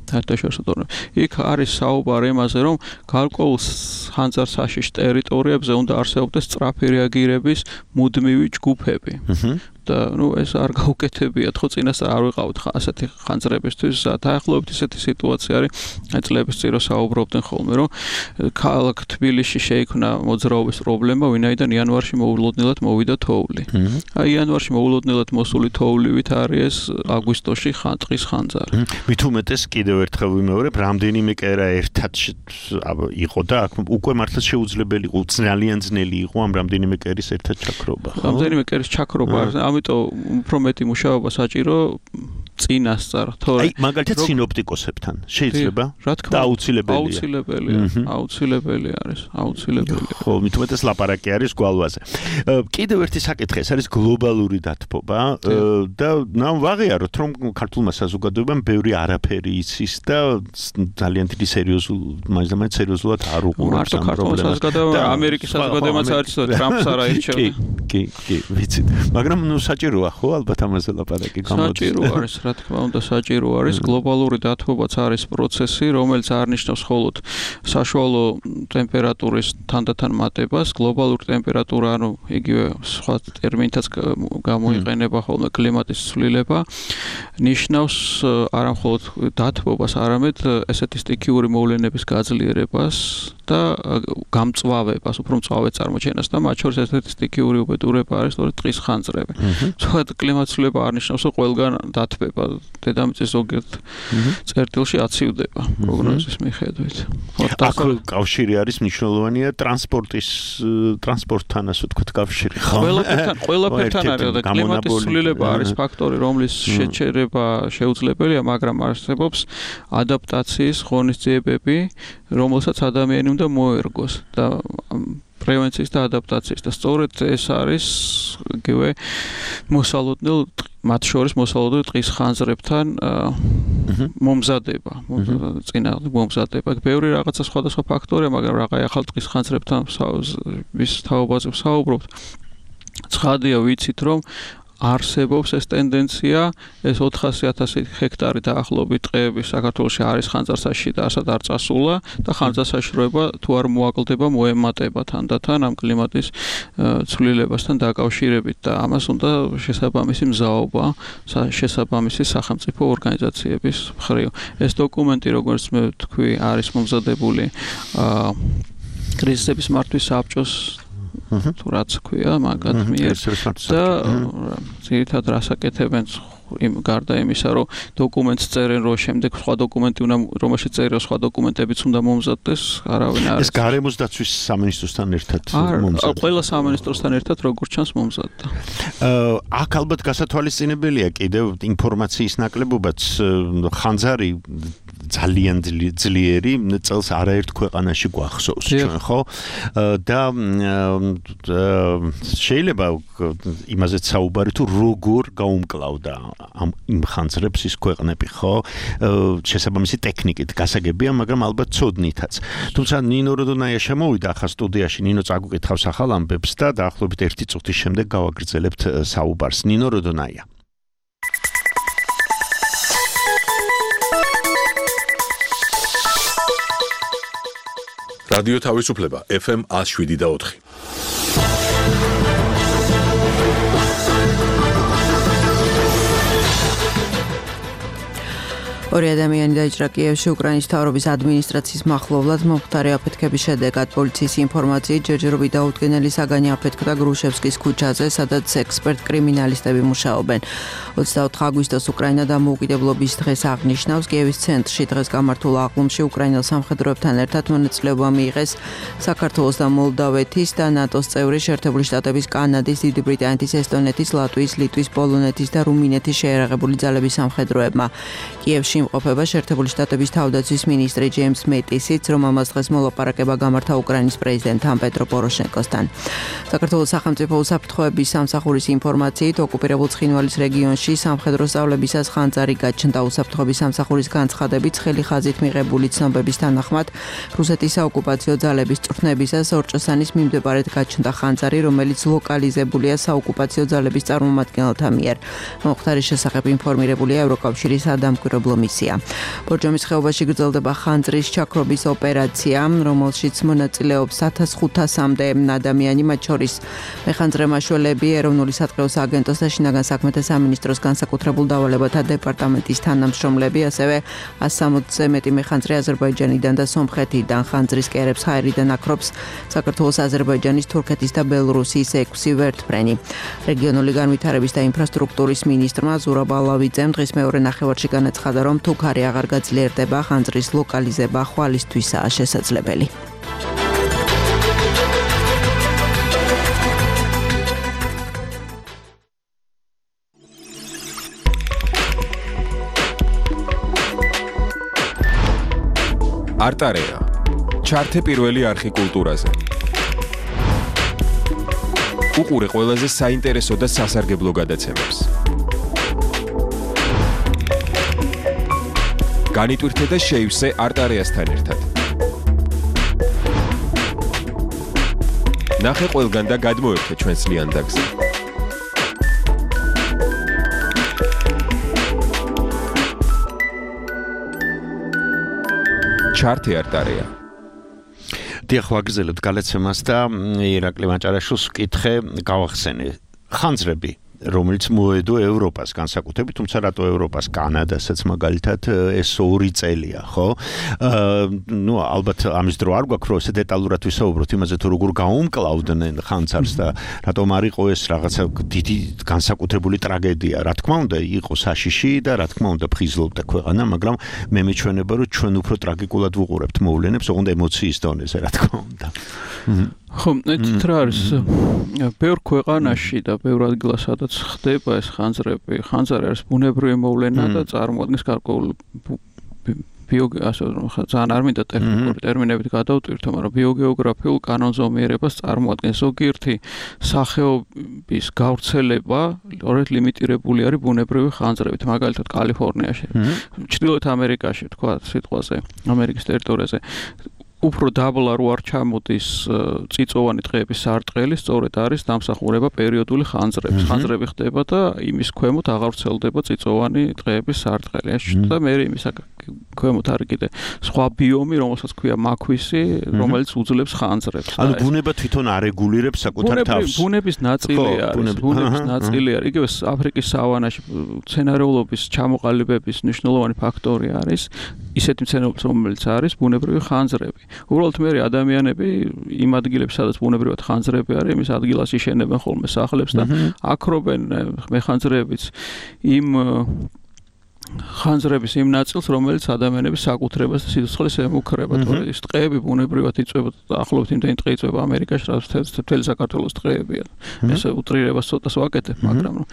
თათაშორისო იქ არის საუბარი იმაზე, რომ გარკვეულ ხანძარსაშიშ ტერიტორიებზე უნდა არსებობდეს სწრაფი რეაგირების მუდმივი ჯგუფები. და ნუ ეს არ გაუკეთებიათ ხო წინასწარ არ ვიყავთ ასეთი ხანძრებისთვის დაახლოებით ისეთი სიტუაცია არის აი წლების წინ რო საუბრობდნენ ხოლმე რომ ქალაქ თბილისში შეიქმნა მოძრაობის პრობლემა ვინაიდან იანვარში მოულოდნელად მოვიდა თოვლი აი იანვარში მოულოდნელად მოსული თოვლივით არის ეს აგვისტოში ტყის ხანძარი მით უმეტეს კიდევ ერთხელ ვიმეორებ რამდენიმე კერა ერთად იყო და აქ უკვე მართლა შეუძლებელი იყო ძალიან ძნელი იყო ამ რამდენიმე კერის ერთად ჩაქრობა ხო რამდენიმე კერის ჩაქრობა ამიტომ უფრო მეტი მუშაობა საჭირო წინასწარ თორე აი მაგალითად სინოპტიკოსებთან შეიძლება რა თქმა უნდა აუცილებელია აუცილებელია აუცილებელი არის აუცილებელია ხო მით უმეტეს ლაპარაკი არის გვალვაზე კიდევ ერთი საკითხი ეს არის გლობალური დათბობა და ნამ ვაღიაროთ რომ ქართულმა საზოგადოებამ ბევრი არაფერი იცის და ძალიან დიდი სერიოზულ მაინც და მაინც სერიოზულად არ უყურებს ამ პრობლემას საზოგადოება ამერიკის საზოგადოებაც არის ტრამპს არ აირჩევდა კი კი ვიცით მაგრამ ნუ საჭიროა ხო ალბათ ამაზე ლაპარაკი გამოდის საჭირო არის რა თქმა უნდა საჭირო არის გლობალური დათბობაც არის პროცესი რომელიც არ ნიშნავს მხოლოდ საშუალო ტემპერატურის თანდათან მატებას გლობალური ტემპერატურა ანუ იგივე სხვა ტერმინითაც გამოიყენება ხოლმე კლიმატის ცვლილება ნიშნავს არა მხოლოდ დათბობას არამედ ესეთი სტიქიური მოვლენების გაძლიერებას და გამწვავებას უფრო მწვავე წარმოჩენას და მათ შორის ესეთი სტიქიური უბედურება არის სწორედ ტყის ხანძრები სხვა კლიმატის ცვლილება არ ნიშნავს რომ ყველგან დათბება დედამიწის ზოგიერთ წერტილში აცივდება პროგნოზის მიხედვით. აქ კავშირი არის მნიშვნელოვანია ტრანსპორტის ტრანსპორტთან ასე ვთქვათ კავშირი ხო? ყველაფერთან ყველაფერთან არის და კლიმატის ცვლილება არის ფაქტორი რომლის შეჩერება შეუძლებელია მაგრამ არსებობს ადაპტაციის ღონისძიებები რომელსაც ადამიანი უნდა მოერგოს და პრევენციის და ადაპტაციის და სწორედ ეს არის იგივე მოსალოდნელ მათ შორის მოსალოდნელ ტყის ხანძრებთან მომზადება წინააღმდეგ მომზადება ბევრი რაღაცა სხვადასხვა ფაქტორია მაგრამ რაღაცა ახალ ტყის ხანძრებთან ვის თაობაზე ვსაუბრობთ ცხადია ვიცით რომ არსებობს ეს ტენდენცია ეს ოთხასი ათასი ჰექტარი დაახლოებით ტყეები საქართველოში არის ხანძარსაში და ასად არ წასულა და ხანძარსაშროება თუ არ მოაკლდება მოემატება თანდათან ამ კლიმატის ცვლილებასთან დაკავშირებით და ამას უნდა შესაბამისი მზაობა შესაბამისი სახელმწიფო ორგანიზაციების მხრივ ეს დოკუმენტი როგორც მე ვთქვი არის მომზადებული კრიზისების მართვის საბჭოს თუ რაც ქვია მაგათ მიერ და ძირითადად რასაკეთებენ იმ გარდა იმისა რომ დოკუმენტს წერენ რომ შემდეგ სხვა დოკუმენტი უნდა რომელშიც წერილ სხვა დოკუმენტებიც უნდა მომზადდეს არავინ არ ეს გარემოს დაცვის სამინისტროსთან ერთად მომზადდა ყველა სამინისტროსთან ერთად როგორც ჩანს მომზადდა აქ ალბათ გასათვალისწინებელია კიდევ ინფორმაციის ნაკლებობაც ხანძარი ძალიან ძლიერი წელს არაერთ ქვეყანაში გვახსოვს ჩვენ ხო და შეიძლება იმაზეც საუბარი თუ როგორ გაუმკლავდა ამ იმ ხანძრებს ის ქვეყნები, ხო? შესაბამისი ტექნიკით გასაგებია, მაგრამ ალბათ ცოდნითაც. თუმცა ნინო როდონაია შემოვიდა ახლა სტუდიაში, ნინო წაგუკითხავს ახალ ამბებს და დაახლოებით ერთი წუთის შემდეგ გავაგრძელებთ საუბარს. ნინო როდონაია. რადიო თავისუფლება ეფ ემ one oh seven და four. ორი ადამიანი დაიჭრა კიევში უკრაინის მთავრობის ადმინისტრაციის მახლობლად მომხდარი აფეთქების შედეგად. პოლიციის ინფორმაციით ჯერჯერობით დაუდგენელი საგანი აფეთქდა გრუშევსკის ქუჩაზე, სადაც ექსპერტ კრიმინალისტები მუშაობენ. ოცდაოთხ აგვისტოს უკრაინა დამოუკიდებლობის დღეს აღნიშნავს. კიევის ცენტრში დღეს გამართულ აღლუმში უკრაინელ სამხედროებთან ერთად მონაწილეობა მიიღეს საქართველოს და მოლდავეთის და ნატოს წევრი შეერთებული შტატების, კანადის, დიდი ბრიტანეთის, ესტონეთის, ლატვიის, ლიტვის, პოლონეთის და რუმინეთის შეერაღებული ძალების სამხედროებმა. კიევში იმყოფება შეერთებული შტატების თავდაცვის მინისტრი ჯეიმს მეტისიც, რომ ამას დღეს მოლაპარაკება გამართა უკრაინის პრეზიდენტთან პეტრო პოროშენკოსთან. საქართველოს სახელმწიფო უსაფრთხოების სამსახურის ინფორმაციით ოკუპირებულ ცხინვალის რეგიონში სამხედრო სწავლებისას ხანძარი გაჩნდა. უსაფრთხოების სამსახურის განცხადებით ცხელი ხაზით მიღებული ცნობების თანახმად რუსეთის საოკუპაციო ძალების წვრთნებისას ორჭოსანის მიმდებარედ გაჩნდა ხანძარი, რომელიც ლოკალიზებულია საოკუპაციო ძალების წარმომადგენელთა მიერ. მომხდარის შესახებ ინფორმირებულია ევროკავშირის სადამკვირვებლო მისია. ბორჯომის ხეობაში გრძელდება ხანძრის ჩაქრობის ოპერაცია, რომელშიც მონაწილეობს ათას ხუთასამდე ადამიანი, მათ შორის მეხანძრე მაშველები, ეროვნული სატყეოს აგენტოს და შინაგან საქმეთა სამინისტროს განსაკუთრებულ დავალებათა დეპარტამენტის თანამშრომლები, ასევე one sixty-ზე მეტი მეხანძრე აზერბაიჯანიდან და სომხეთიდან. ხანძრის კერებს ჰაერიდან აკრობს საქართველოს, აზერბაიჯანის, თურქეთის და ბელორუსიის ექვსი ვერტმფრენი. რეგიონული განვითარების და ინფრასტრუქტურის მინისტრმა ზურაბ ალავიძემ დღის მეორე ნახევარში განაცხადა, რომ თუ ქარი აღარ გაძლიერდება, ხანძრის ლოკალიზება ხვალისთვისაა შესაძლებელი. არტარეა. ჩართე პირველი არხი კულტურაზე. უყურე ყველაზე საინტერესო და სასარგებლო გადაცემებს. განიტვირთე და შეივსე არტარეასთან ერთად. ნახე ყველგან და გადმოერთე ჩვენს ლიანდაგზე. ჩართე არტარეა. დიახ, ვაგრძელებთ გადაცემას და ირაკლი მაჭარაშვილს ვკითხე, გავახსენე ხანძრები, რომელიც მოედო ევროპას განსაკუთრებით, თუმცა რატო ევროპას, კანადასაც მაგალითად ეს ორი წელია, ხო? ნუ ალბათ ამის დრო არ გვაქვს, რომ ესე დეტალურად ვისაუბროთ იმაზე, თუ როგორ გაუმკლავდნენ ხანძარს და რატომ არ იყო ეს რაღაცა დიდი განსაკუთრებული ტრაგედია. რა თქმა უნდა, იყო საშიში და რა თქმა უნდა ფხიზლობდა ქვეყანა, მაგრამ მე მეჩვენება, რომ ჩვენ უფრო ტრაგიკულად ვუყურებთ მოვლენებს, ოღონდ ემოციის დონეზე, რა თქმა უნდა. ხო, ეს რა არის? ბევრ ქვეყანაში და ბევრ ადგილას, სადაც ხდება ეს ხანძრები, ხანძარი არის ბუნებრივი მოვლენა და წარმოადგენს გარკვეულ ძალიან არ მინდა ტექნიკური ტერმინებით გადავტვირთო, მაგრამ ბიოგეოგრაფიულ კანონზომიერებას წარმოადგენს. ზოგიერთი სახეობის გავრცელება სწორედ ლიმიტირებული არის ბუნებრივი ხანძრებით, მაგალითად კალიფორნიაში, ჩრდილოეთ ამერიკაში, თქვა სიტყვაზე, ამერიკის ტერიტორიაზე. უფრო დაბლა რო არ ჩამოდის წიწოვანი ტყეების სარტყელი, სწორედ არის დამსახურება პერიოდული ხანძრების. ხანძრები ხდება და იმის ქვემოთ აღარ ვრცელდება წიწოვანი ტყეების სარტყელი. და მე იმის ქვემოთ არის კიდე სხვა ბიომი, რომელსაც ქვია მაქვისი, რომელიც უძლებს ხანძრებს. ანუ ბუნება თვითონ არეგულირებს საკუთარ თავს. ბუნების ნაწილი არის, ბუნების ნაწილი არის. იგივე აფრიკის სავანაში მცენარეულობის ჩამოყალიბების მნიშვნელოვანი ფაქტორი არის ისეთი მცენარეულობა, რომელიც არის ბუნებრივი ხანძრები. უბრალოდ მე ადამიანები იმ ადგილებში, სადაც ბუნებრივად ხანძრები არის, იმის ადგილას იშენებენ ხოლმე სახლებს და აკრობენ მეხანძრებიც იმ ხანძრების იმ ნაწილს, რომელიც ადამიანების საკუთრებას და სიცოცხლეს ემუქრება. თორე ის ტყეები ბუნებრივად იწვება, ახლობთ იმდენი ტყე იწვება ამერიკაში, რაც მთელი საქართველოს ტყეებია. ეს უტრირებას ცოტას ვაკეთებ, მაგრამ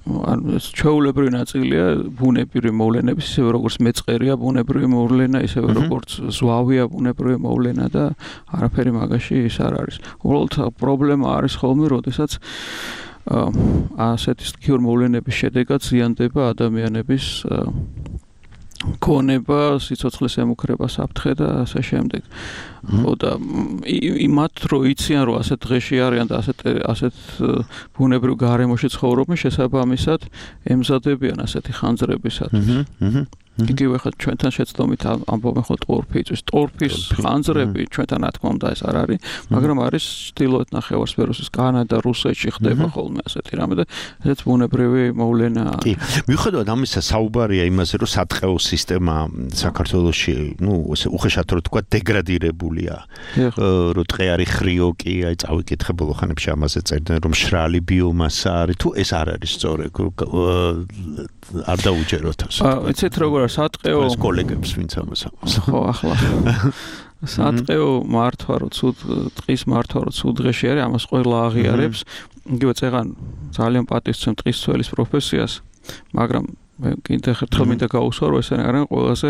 ანუ ეს ჩვეულებრივი ნაწილია ბუნებრივი მოვლენების, ისევე როგორც მეწყერია ბუნებრივი მოვლენა, ისევე როგორც ზვავია ბუნებრივი მოვლენა და არაფერი მაგაში ის არ არის. უბრალოდ პრობლემა არის ხოლმე, როდესაც ასეთი სტიქიურ მოვლენების შედეგად ზიანდება ადამიანების ქონება, სიცოცხლის ემუქრება, საფრთხე და ასე შემდეგ. ხო და იმათ რო იციან რომ ასეთ დღეში არიან და ასეთ ასეთ ბუნებრივ გარემოში ცხოვრობენ, შესაბამისად ემზადებიან ასეთი ხანძრებისათვის. იგივე ხა ჩვენთან შეცდომით ამბობენ ხო ტორფის, ტორფის ხანძრები ჩვენთან რა თქმა უნდა ეს არ არის, მაგრამ არის ჩრდილოეთ ნახევარსფეროს, კანადა, რუსეთში ხდება ხოლმე ასეთი რამე და ესეც ბუნებრივი მოვლენაა. კი, მიუხედავად ამისა საუბარია იმაზე, რომ სატყეო სისტემა საქართველოში, ну, ესე უხეშად რო თქვა, დეგრადირებულია. რომ ტყე არის ხრიოკი, აი წავიკითხე ბოლო ხანებში ამაზე წერდნენ, რომ მშრალი ბიომასა არის, თუ ეს არ არის სწორი, არ დაუჯეროთ ასე. ეცეთ როგორ სატყეო ეს კოლეგებს ვინც ამას ამბობს. ხო, ახლა სატყეო მართვა რო ცუდ ტყის მართვა რო ცუდ დღეში არის, ამას ყველა აღიარებს. იგივე წეგან ძალიან პატივცემ ტყის ცველის პროფესიას, მაგრამ მე კიდე ერთხელ მინდა გავუსვა, რომ ესენი არიან ყველაზე,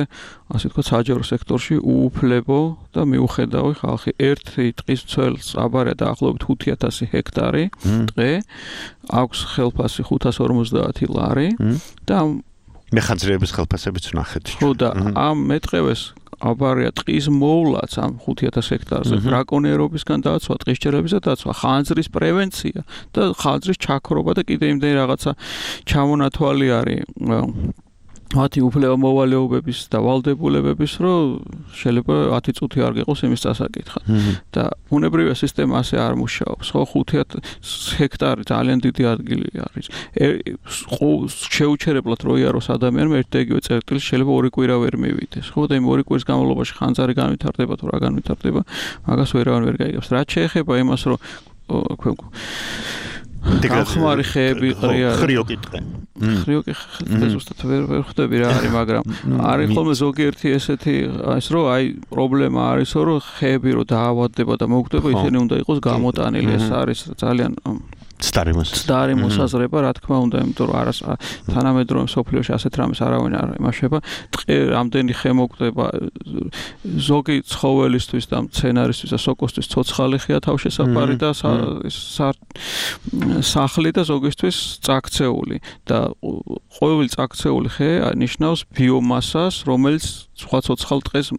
ასე ვთქვათ, საჯარო სექტორში უუფლებო და მიუხედავი ხალხი. ერთი ტყის ცველს აბარია დაახლოებით ხუთი ათასი ჰექტარი ტყე, აქვს ხელფასი ხუთას ორმოცდაათი ლარი და მეხანძრეების ხელფასებიც ვნახეთ. ხო და ამ მეტყევეს აბარია ტყის მოვლაც ამ ხუთი ათასი ჰექტარზე, ბრაკონიერობისგან დაცვა, ტყისჯერებისა დაცვა, ხანძრის პრევენცია და ხანძრის ჩაქრობა და კიდე იმდენი რაღაცა ჩამონათვალი არის მათი უფლება მოვალეობების და ვალდებულებების, რომ შეიძლება ათი წუთი არ გიყოს იმის დასაკითხად. და ბუნებრივი სისტემა ასე არ მუშაობს. ხო, ხუთი ჰექტარი ძალიან დიდი ადგილი არის. შეუჩერებლად რო იაროს ადამიანმა ერთ და იგივე წერტილს შეიძლება ორი კვირა ვერ მივიდეს. ხო, და იმ ორი კვირის განმავლობაში ხანძარი განვითარდება თუ რა განვითარდება, მაგას ვერავინ ვერ გაიგებს. რაც შეეხება იმას, რომ გახმარი ხეები ყრია ხრიოკი ტყე. ხრიოკი ხე ზუსტად ვერ ვერ ხვდები რა არის, მაგრამ არის ხოლმე ზოგიერთი ესეთი ის რომ აი პრობლემა არის, რომ ხეები რო დაავადდება და მოგვდება, ისინი უნდა იყოს გამოტანილი. ეს არის ძალიან სტარი მოსაზრება, რა თქმა უნდა, იმიტომ რომ არას თანამედროვე სოფლიოში ასეთ რამეს არავინ არ იმაშება. ტყე რამდენი ხე მოგვდება ზოგი ცხოველისთვის და მცენარისთვის და სოკოსთვის ცოცხალი ხეა თავშესაფარი და სახლი და ზოგისთვის წაქცეული და ყოველი წაქცეული ხე ნიშნავს ბიომასას, რომელიც სხვა ცოცხალ ტყეს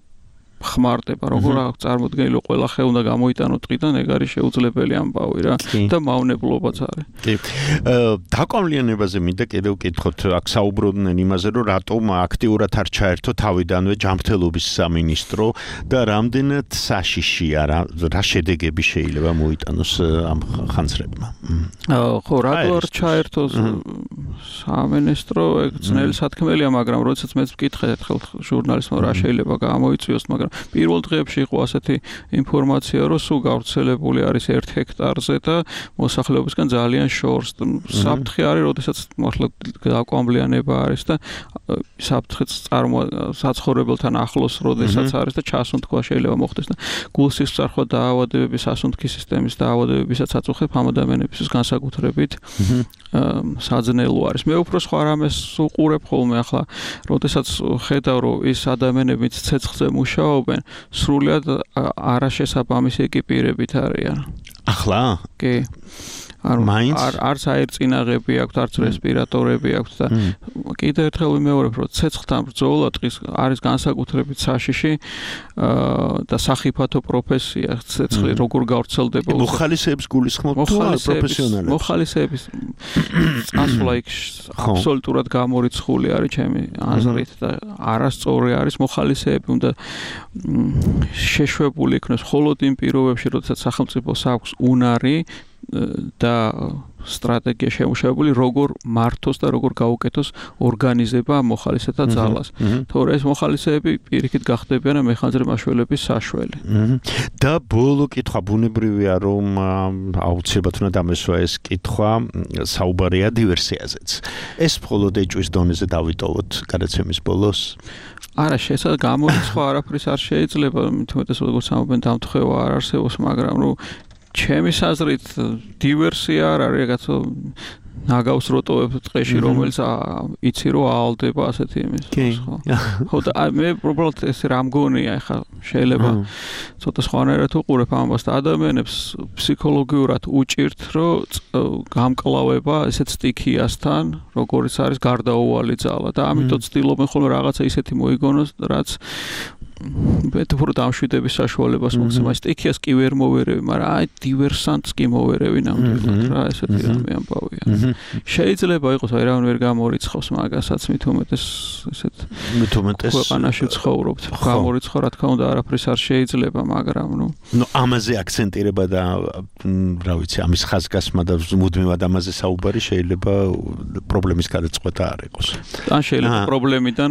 ხმარდება, როგორ აქვს წარმოდგენილი, ყველა ხე უნდა გამოიტანო ტყიდან, ეგ არის შეუძლებელი ამბავი რა და მავნებლობაც არის. კი. დაკვამლიანებაზე მინდა კიდევ ვკითხოთ, აქ საუბრობდნენ იმაზე, რომ რატომ აქტიურად არ ჩაერთო თავიდანვე ჯანმრთელობის სამინისტრო და რამდენად საშიშია რა, რა შედეგები შეიძლება მოიტანოს ამ ხანძრებმა. ხო, რატო არ ჩაერთო სამინისტრო, ეგ ძნელი სათქმელია, მაგრამ როდესაც მეც ვკითხე ერთხელ ჟურნალისტმა რა შეიძლება გამოიწვიოს, მაგრამ პირველ დღეებში იყო ასეთი ინფორმაცია, რომ სულ გავრცელებული არის ერთ ჰექტარზე და მოსახლეობისგან ძალიან შორს. საფრთხე არის, როდესაც მართლა დაკვამლიანება არის და საფრთხეც საცხოვრებელთან ახლოს, როდესაც არის და ჩასუნთქვა შეიძლება მოხდეს და გულსისწრაფვა დაავადებების, სასუნთქი სისტემის დაავადებებისაც აწუხებ ამ ადამიანებისთვის განსაკუთრებით საძნელო არის. მე უფრო სხვა რამეს უყურებ ხოლმე ახლა, როდესაც ხედავ, რომ ის ადამიანებიც ცეცხლზე მუშაობენ, სრულად არაშესაბამისი ეკიპირებით არიან. ახლა? კი. არ არ არც აერწინაღები აქვთ, არც რესპირატორები აქვთ და კიდე ერთხელ ვიმეორებ, რომ ცეცხლთან ბრძოლა ტყის არის განსაკუთრებით საშიში და სახიფათო პროფესია, ცეცხლი როგორ გავრცელდება. მოხალისეებს გულისხმობთ თუ პროფესიონალებს? მოხალისეების წასვლა იქ აბსოლუტურად გამორიცხული არის ჩემი აზრით და არასწორი არის. მოხალისეები უნდა შეშვებული იქნეს მხოლოდ იმ პირობებში, როდესაც სახელმწიფოს აქვს უნარი და სტრატეგია შემუშავებული, როგორ მართოს და როგორ გაუკეთოს ორგანიზება მოხალისეთა ძალას. თორე ეს მოხალისეები პირიქით გახდებიან მეხანძრე მაშველების საშველი. და ბოლო კითხვა ბუნებრივია, რომ აუცილებლად უნდა დამესვა ეს კითხვა, საუბარია დივერსიაზეც. ეს მხოლოდ ეჭვის დონეზე დავიტოვოთ გადაცემის ბოლოს. არა, შესაძლოა გამორიცხვა არაფრის არ შეიძლება, თუმცა როგორც ამბობენ, დამთხევა არ არსებობს, მაგრამ რომ ჩემი აზრით დივერსია არ არის, რაღაცა ნაგავს როტოებ ტყეში, რომელიც იცი რომ აალდება ასეთი იმის. ხო და მე უბრალოდ ეს რამგონია ახლა შეიძლება ცოტა სხვანაირად უყურებ ამას და ადამიანებს ფსიქოლოგიურად უჭირთ რომ გამკლავება ესეთ სტიქიასთან, როგორც არის გარდაუვალი ძალა და ამიტომ ცდილობენ ხოლმე რაღაცა ისეთი მოიგონოს, რაც მეტფურ დამშვიდების საშუალებას მოგცემ. სტიქიას კი ვერ მოვერევი, მაგრამ აი დივერსანტს კი მოვერევი ნამდვილად რა, ესეთი რამე ამბავია. შეიძლება იყოს აი რა ვერ გამორიცხავს მაგასაც მით უმეტეს ესეთ მით უმეტეს ქვეყანაში ცხოვრობთ. გამორიცხო რა თქმა უნდა არაფრის არ შეიძლება, მაგრამ ნუ ნუ ამაზე აქცენტირება და რა ვიცი, ამის ხაზგასმა და მუდმივად ამაზე საუბარი შეიძლება პრობლემის გადაწყვეტა არ იყოს. ან შეიძლება პრობლემიდან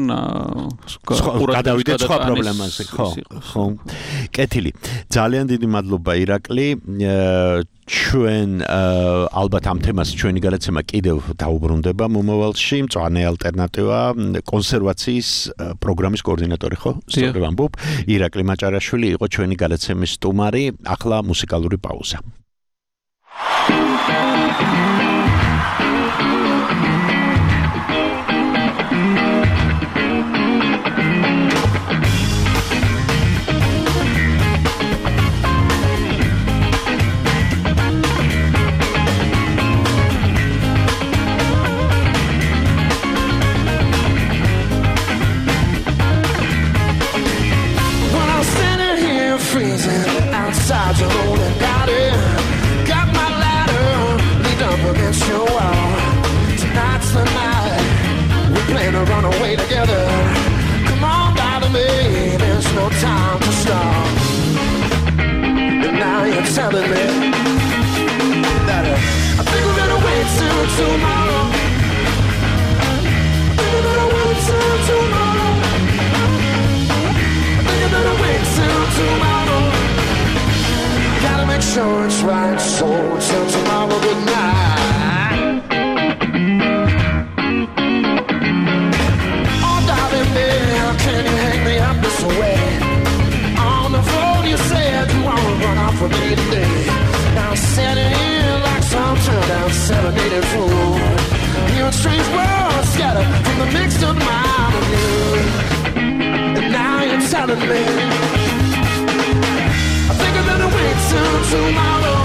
გადავიდეთ სხვა პრობლემაზე, ხო, ხო. კეთილი. ძალიან დიდი მადლობა ირაკლი. ჩვენ ალბათ ამ თემას ჩვენი გადაცემა კიდევ დაუბრუნდება მომავალში. მწვანე ალტერნატივა კონსერვაციის პროგრამის კოორდინატორი ხო? სწორედ ამბობ. ირაკლი მაჭარაშვილი იყო ჩვენი გადაცემის სტუმარი. ახლა მუსიკალური პაუზა. Outside your own and got it. Got my ladder, leaned up against your wall. Tonight's the night, we plan to run away together. Come on down to me, there's no time to stop. And now you're telling me that uh, I think we're gonna wait till tomorrow. I think we're gonna wait till tomorrow. I think we're gonna wait till tomorrow. Gotta make sure it's right, so till tomorrow, good night. Oh, darling, babe, can you hang me up this way? On the phone you said you wanna run off with me today. Now I'm sitting here like some turned out serenaded fool. Hearing strange words scattered from the mixed up mind of you. And now you're telling me I think I'm gonna wait till tomorrow.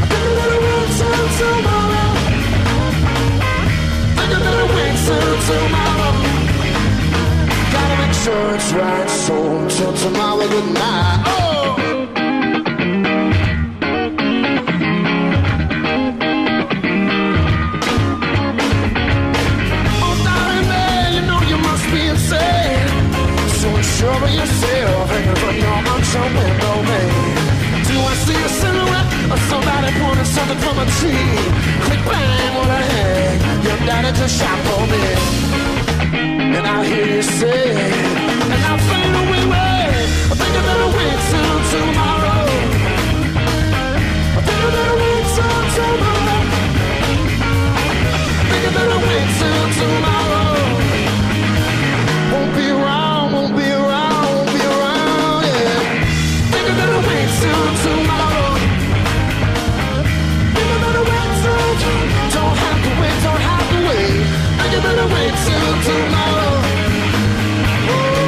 I think I'm gonna wait till tomorrow. I think I'm gonna wait till tomorrow. Gotta make sure it's right, so till tomorrow, good night. Oh! Oh, darling, man, you know you must be insane. So unsure of yourself, hanging from your unshot window, man. Do I see a silhouette of somebody pointing something from a tree? Quick bang, what I had, your daddy just shot for me. And I hear you say, and I fade away, wait. I think I'm gonna wait till tomorrow. I think I'm gonna wait till tomorrow. I think I'm gonna wait till tomorrow. Won't be around, won't be around, won't be around, yeah. Think I'm gonna wait till tomorrow. Think I'm gonna wait till tomorrow. Don't have to wait, don't have to wait. Think I'm gonna wait till tomorrow. Oh.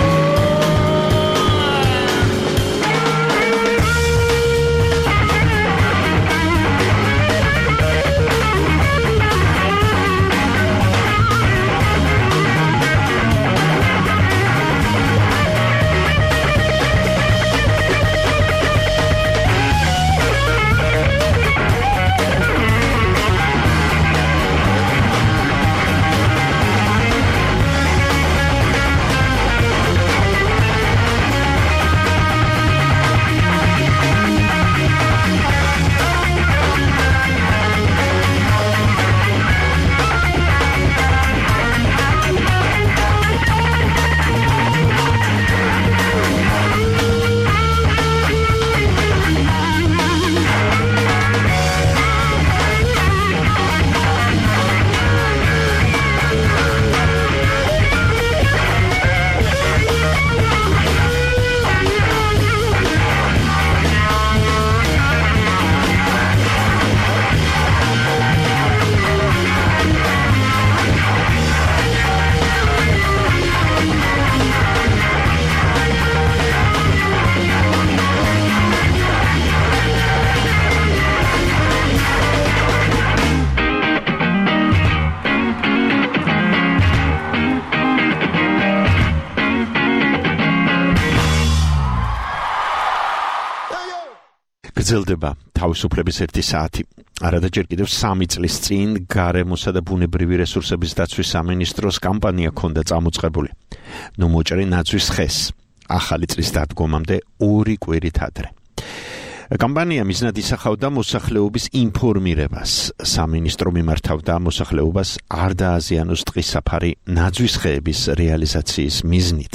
გრძელდება თავისუფლების ერთი საათი. არადა ჯერ კიდევ სამი წლის წინ გარემოსა და ბუნებრივი რესურსების დაცვის სამინისტროს კამპანია ჰქონდა წამოწყებული. ნუ მოჭრი ნაცვის ხეს. ახალი წლის დადგომამდე ორი კვირით ადრე. კამპანია მიზნად ისახავდა მოსახლეობის ინფორმირებას. სამინისტრო მიმართავდა მოსახლეობას არ დააზიანოს ტყის საფარი ნაძვის ხეების რეალიზაციის მიზნით.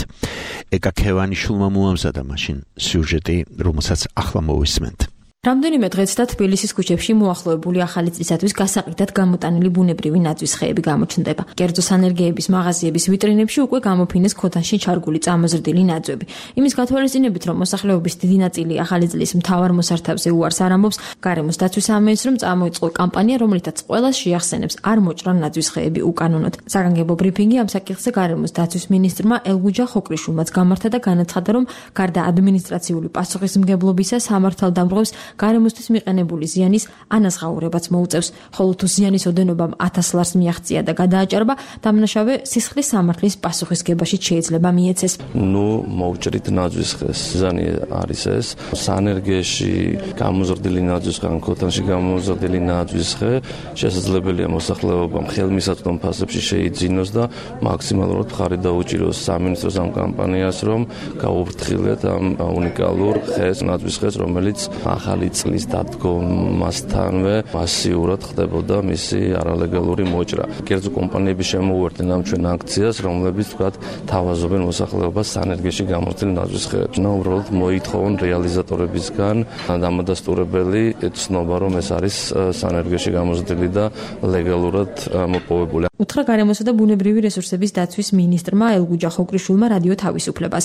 ეკა ქევანიშვილმა მოამზადა მაშინ სიუჟეტი, რომელსაც ახლა მოვისმენთ. რამდენიმე დღეც და თბილისის ქუჩებში მოახლოებული ახალი წლისათვის გასაყიდად გამოტანილი ბუნებრივი ნაძვის ხეები გამოჩნდება. კერძო სანერგეების მაღაზიების ვიტრინებში უკვე გამოფინეს ქოთანში ჩარგული წამოზრდილი ნაძვები. იმის გათვალისწინებით, რომ მოსახლეობის დიდი ნაწილი ახალი წლის მთავარ მოსართავზე უარს არ ამბობს, გარემოს დაცვის სამინისტრომ წამოიწყო კამპანია, რომელითაც ყველას შეახსენებს არ მოჭრან ნაძვის ხეები უკანონოდ. საგანგებო ბრიფინგი ამ საკითხზე გარემოს დაცვის მინისტრმა ელგუჯა ხოკრიშვილმაც გამართა და განაცხადა, რომ გარდა ადმინისტრაციული პასუხისმგებლობისა სამართალდამღვრევს გარემოსთვის მიყენებული ზიანის ანაზღაურებაც მოუწევს, ხოლო თუ ზიანის ოდენობამ ათას ლარს მიაღწია და გადააჭარბა, დამნაშავე სისხლის სამართლის პასუხისგებაში შეიძლება მიეცეს. ნუ მოვჭრით ნაძვის ხეს. ზიანი არის ეს. სანერგეში გამოზრდილი ნაძვის ხე, ქოთანში გამოზრდილი ნაძვის ხე შესაძლებელია მოსახლეობამ ხელმისაწვდომ ფასებში შეიძინოს და მაქსიმალურად მხარი დაუჭიროს სამინისტროს ამ კამპანიას, რომ გაუფრთხილეთ ამ უნიკალურ ხეს, ნაძვის ხეს, რომელიც ახალი წლის დადგომასთანვე მასიურად ხდებოდა მისი არალეგალური მოჭრა. კერძო კომპანიები შემოუერთდნენ ამ ჩვენ აქციას, რომლებიც თქვათ თავაზობენ მოსახლეობას სანერგეში გამოცდილი ნაძვის ხეებს. და უბრალოდ მოითხოვონ რეალიზატორებისგან დამადასტურებელი ცნობა, რომ ეს არის სანერგეში გამოცდილი და ლეგალურად მოპოვებული. უთხრა გარემოსა და ბუნებრივი რესურსების დაცვის მინისტრმა ელგუჯა ხოკრიშვილმა რადიო თავისუფლებას.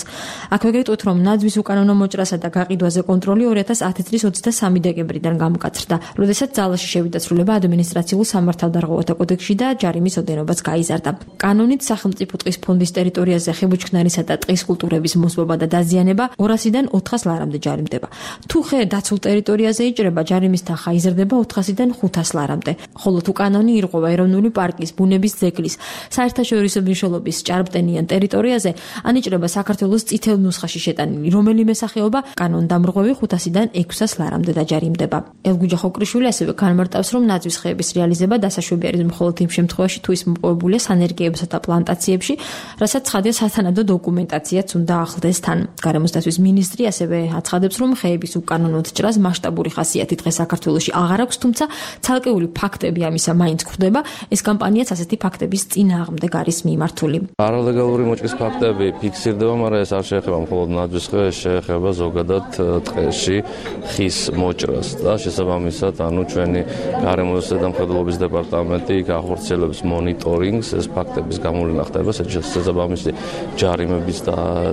აქვე გეტყვით, რომ ნაძვის უკანონო მოჭრასა და გაყიდვაზე კონტროლი ორი ათას ათი წლის ოცდამესამე დეკემბრიდან გამოკაცრდა, როდესაც ძალაში შევიდა ცვლილება ადმინისტრაციულ სამართალდარღვევათა კოდექსში და ჯარიმის ოდენობაც გაიზარდა. კანონით სახელმწიფო ტყის ფონდის ტერიტორიაზე ხებუჩქნარისა და ტყის კულტურების მოსპობა და დაზიანება ორასიდან ოთხას ლარამდე ჯარიმდება. თუ ხე დაცულ ტერიტორიაზე იჭრება, ჯარიმის თანხა იზრდება ოთხასიდან ხუთას ლარამდე. ხოლო თუ კანონი ირღვევა ეროვნული პარკის, ბუნების ძეგლის, საერთაშორისო მნიშვნელობის ჭარბტენიან ტერიტორიაზე, ანიჭრება საქართველოს წითელ ნუსხაში შეტანილი რომელიმე სახეობა, კანონდამრღვევი ხუთასიდან ექვსას ლარამდე დაჯარიმდება. ელგუჯა ხოკრიშვილი ასევე განმარტავს, რომ ნაძვის ხეების რეალიზება დასაშვები არის მხოლოდ იმ შემთხვევაში, თუ ის მოპოვებულია სანერგეებსა და პლანტაციებში, რასაც ცხადია სათანადო დოკუმენტაციაც უნდა ახლდეს თან. გარემოს დაცვის მინისტრი ასევე აცხადებს, რომ ხეების უკანონოდ ჭრას მასშტაბური ხასიათი დღეს საქართველოში აღარ აქვს, თუმცა ცალკეული ფაქტები ამისა მაინც გვხვდება. ეს კამპანიაც ასეთი ფაქტების წინააღმდეგ არის მიმართული. არალეგალური მოჭრის ფაქტები ფიქსირდება, მაგრამ ეს არ შეეხება მხოლოდ ნაძვის ხეებს, შეეხება ზოგადად ტყეში ხის მოჭრას და შესაბამისად, ანუ ჩვენი გარემოს ზედამხედველობის დეპარტამენტი გახორციელებს მონიტორინგს, ეს ფაქტების გამოვლენა ხდება, შესაბამისი ჯარიმების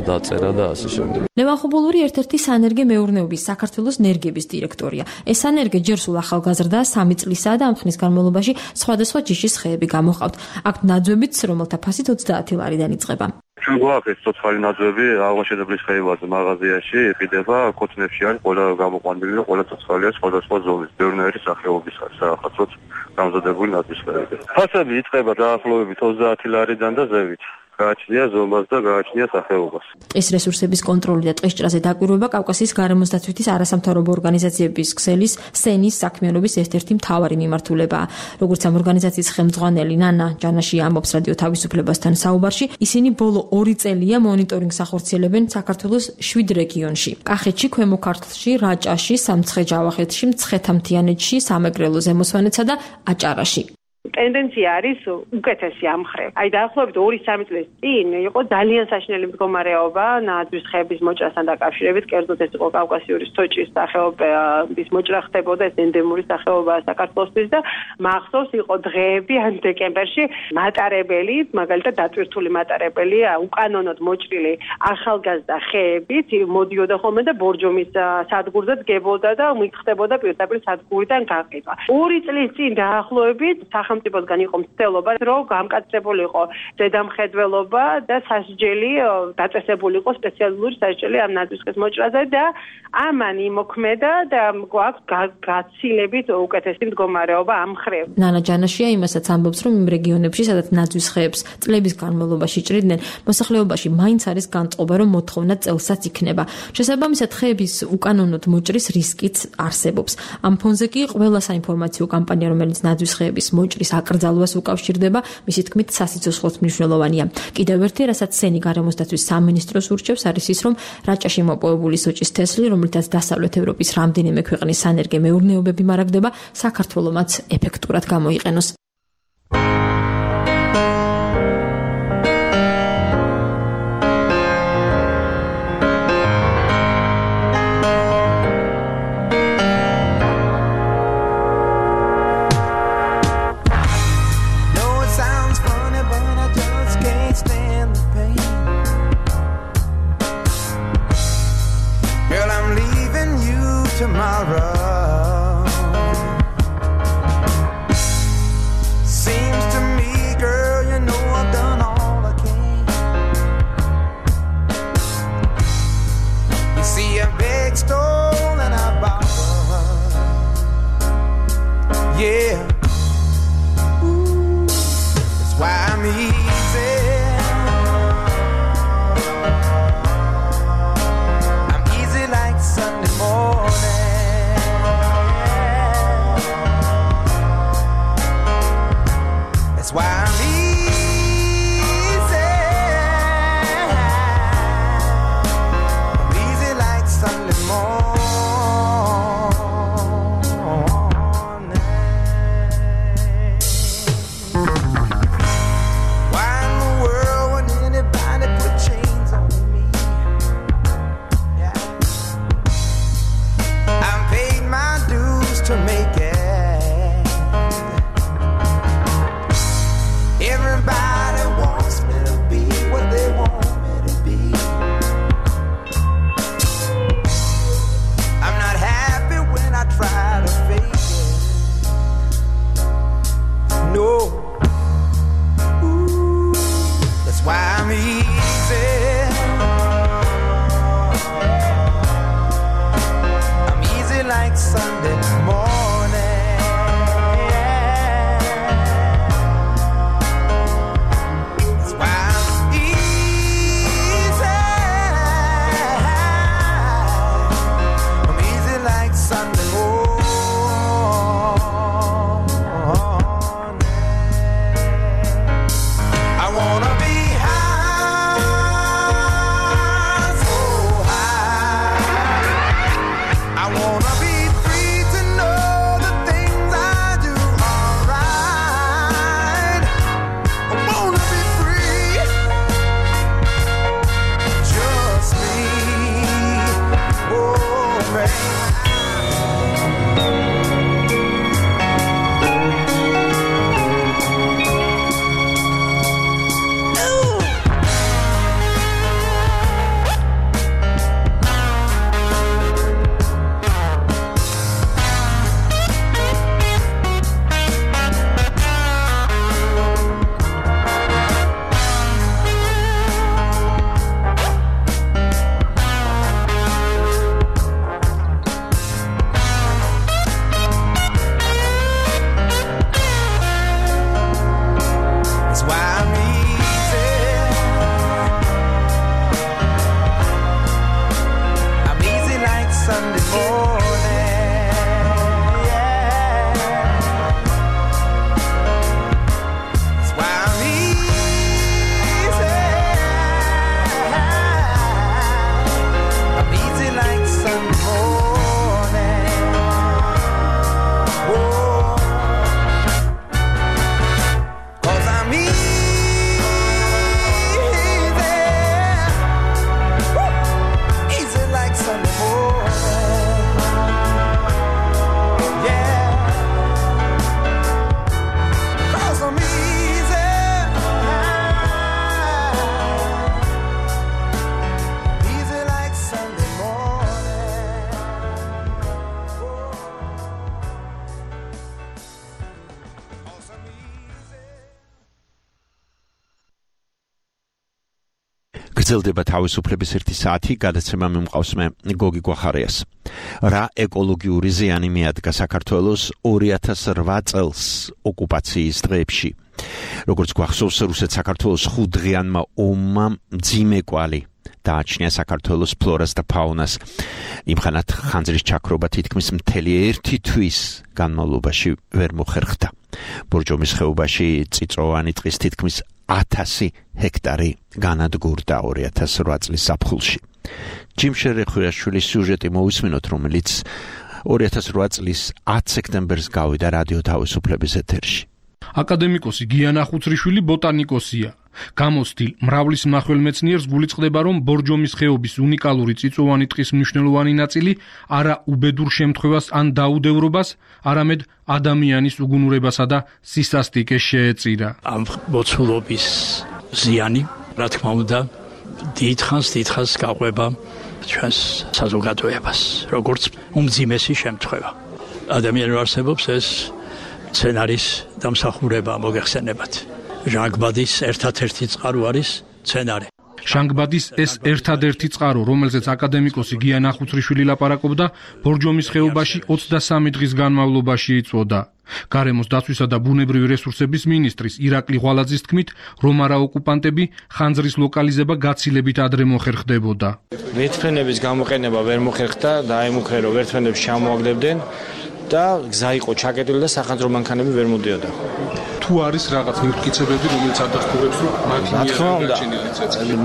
დაწერა და ასე შემდეგ. ლევან ხუბულური ერთ-ერთი სანერგე მეურნეობის საქართველოს ნერგების დირექტორია. ეს სანერგე ჯერ სულ ახალგაზრდაა, სამი წლისაა და ამ ხნის განმავლობაში სხვადასხვა ჯიშის ხეები გამოჰყავთ. აქ ნაძვებიც, რომელთა ფასით ოცდაათი ლარიდან იწყება. ჩვენ გვაქვს ცოცხალი ნაძვები აღმაშენებლის ხეებაზე მაღაზიაში იყიდება, ქოთნებში არის ყველა გამოყვანილი და ყველა ცოცხალია სხვადასხვა ზონის, ბევრნაირი სახეობის არის რაღაცოთ გამზადებული ნაძვის ხეები. ფასები იწყება დაახლოებით ოცდაათი ლარიდან და ზევით. გააჩნია ზომას და გააჩნია სახეობას. ტყის რესურსების კონტროლი და ტყის ჭრაზე დაკვირვება კავკასიის გარემოს დაცვითის არასამთავრობო ორგანიზაციების ქსელის სენის საქმიანობის ერთ-ერთი მთავარი მიმართულებაა. როგორც ამ ორგანიზაციის ხელმძღვანელი ნანა ჯანაში ამბობს რადიო თავისუფლებასთან საუბარში, ისინი ბოლო ორი წელია მონიტორინგს ახორციელებენ საქართველოს შვიდ რეგიონში: კახეთში, ქვემო ქართლში, რაჭაში, სამცხე-ჯავახეთში, მცხეთა-მთიანეთში, სამეგრელო ზემოსვანეთსა და აჭარაში. ტენდენცია არის უკეთესი ამ მხრივ. აი დაახლოებით ორი სამი წლის წინ იყო ძალიან საშინელი მდგომარეობა ნაძვის ხეების მოჭრასთან დაკავშირებით, კერძოდ ეს იყო კავკასიური სტოჭის სახეობის მოჭრა ხდებოდა, ეს ენდემური სახეობაა საქართველოსთვის და მახსოვს იყო დღეები ან დეკემბერში მატარებელი, მაგალითად დატვირთული მატარებელი, უკანონოდ მოჭრილი ახალგაზრდა ხეებით მოდიოდა ხოლმე და ბორჯომის სადგურზე დგებოდა და მიხდებოდა პირდაპირ სადგურიდან გაყიდვა. ორი წლის წინ დაახლოებით სახელმწიფოსგან იყო მცდელობა, რომ გამკაცრებულიყო ზედამხედველობა და სასჯელი დაწესებული იყო სპეციალური სასჯელი ამ ნაძვისხის მოჭრაზე და ამან იმოქმედა და გვაქვს გაცილებით უკეთესი მდგომარეობა ამ მხრივ. ნანა ჯანაშია იმასაც ამბობს, რომ იმ რეგიონებში, სადაც ნაძვის ხეებს წლების განმავლობაში ჭრიდნენ, მოსახლეობაში მაინც არის განწყობა, რომ მოთხოვნა წელსაც იქნება. შესაბამისად, ხეების უკანონოდ მოჭრის რისკიც არსებობს. ამ ფონზე კი ყველა საინფორმაციო კამპანია, რომელიც ნაძვის ხეების მოჭრის აკრძალვას უკავშირდება, მისი თქმით, სასიცოცხლოდ მნიშვნელოვანია. კიდევ ერთი, რასაც სენი გარემოსდაცვის სამინისტროს ურჩევს, არის ის, რომ რაჭაში მოპოვებული სოჭის თესლი, რომლითაც დასავლეთ ევროპის რამდენიმე ქვეყნის სანერგე მეურნეობები მარაგდება, საქართველომაც ეფექტურად გამოიყენოს. Tomorrow seems to me, girl, you know I've done all I can. You see, I begged, stole, and I borrowed. Yeah, ooh, that's why I'm easy. I'm easy like Sunday morning. Why I'm easy, I'm easy like Sunday morning. Why in the world would anybody put chains on me? Yeah, I paid my dues to make it. Everybody wants me to be what they want me to be. I'm not happy when I try to fake it. No. Ooh, that's why I'm easy. I'm easy like Sunday morning. Free to გრძელდება თავისუფლების ერთი საათი, გადაცემა მიმყავს მე გოგი გვახარიას. რა ეკოლოგიური ზიანი მიადგა საქართველოს ორი ათას რვა წელს ოკუპაციის დღეებში. როგორც გვახსოვს, რუსეთს საქართველოს ხუთდღიანმა ომმა მძიმე კვალი დააჩნია საქართველოს ფლორას და ფაუნას. იმხანად ხანძრის ჩაქრობა თითქმის მთელი ერთი თვის განმავლობაში ვერ მოხერხდა. ბორჯომის ხეობაში წიწვოვანი ტყის თითქმის ათასი ჰექტარი განადგურდა ორი ათას რვა წლის ზაფხულში. ჯიმ შერეხუაშვილის სიუჟეტი მოვისმინოთ, რომელიც ორი ათას რვა წლის ათი სექტემბერს გავიდა რადიო თავისუფლების ეთერში. აკადემიკოსი გიანა ხუცრიშვილი ბოტანიკოსია. გამოცდილ მრავლის მახველმეცნიერს გულიწყდება, რომ ბორჯომის ხეობის უნიკალური წიწვოვანი ტყის მნიშვნელოვანი ნაწილი არა უბედურ შემთხვევას ან დაუდევრობას, არამედ ადამიანის უგუნურებასა და სისასტიკეს შეეწირა. ამ მოცულობის ზიანი, რა თქმა უნდა, დიდხანს დიდხანს გაყვება ჩვენს საზოგადოებას, როგორც უმძიმესი შემთხვევა. ადამიანურ არსებობს ეს სცენარის დამსახურება მოგეხსენებათ. ჟანგბადის ერთადერთი წყარო არის სცენარი. ჟანგბადის ეს ერთადერთი წყარო, რომელზეც აკადემიკოსი გიანა ხუცრიშვილი ლაპარაკობდა, ბორჯომის ხეობაში ოცდასამი დღის განმავლობაში იწვოდა. გარემოს დაცვისა და ბუნებრივი რესურსების მინისტრის ირაკლი ღვალაძის თქმით, რომ არა ოკუპანტები ხანძრის ლოკალიზება გაცილებით ადრე მოხერხდებოდა. ვერტმფრენების გამოყენება ვერ მოხერხდა, დაემუქრე რომ ვერტმფრენებს ჩამოაგდებდნენ და გზა იყო ჩაკეტილი და სახანძრო მანქანები ვერ მოდიოდა. თუ არის რაღაც ნივთკიცებები, რომელიც ადასტურებს, რომ მათი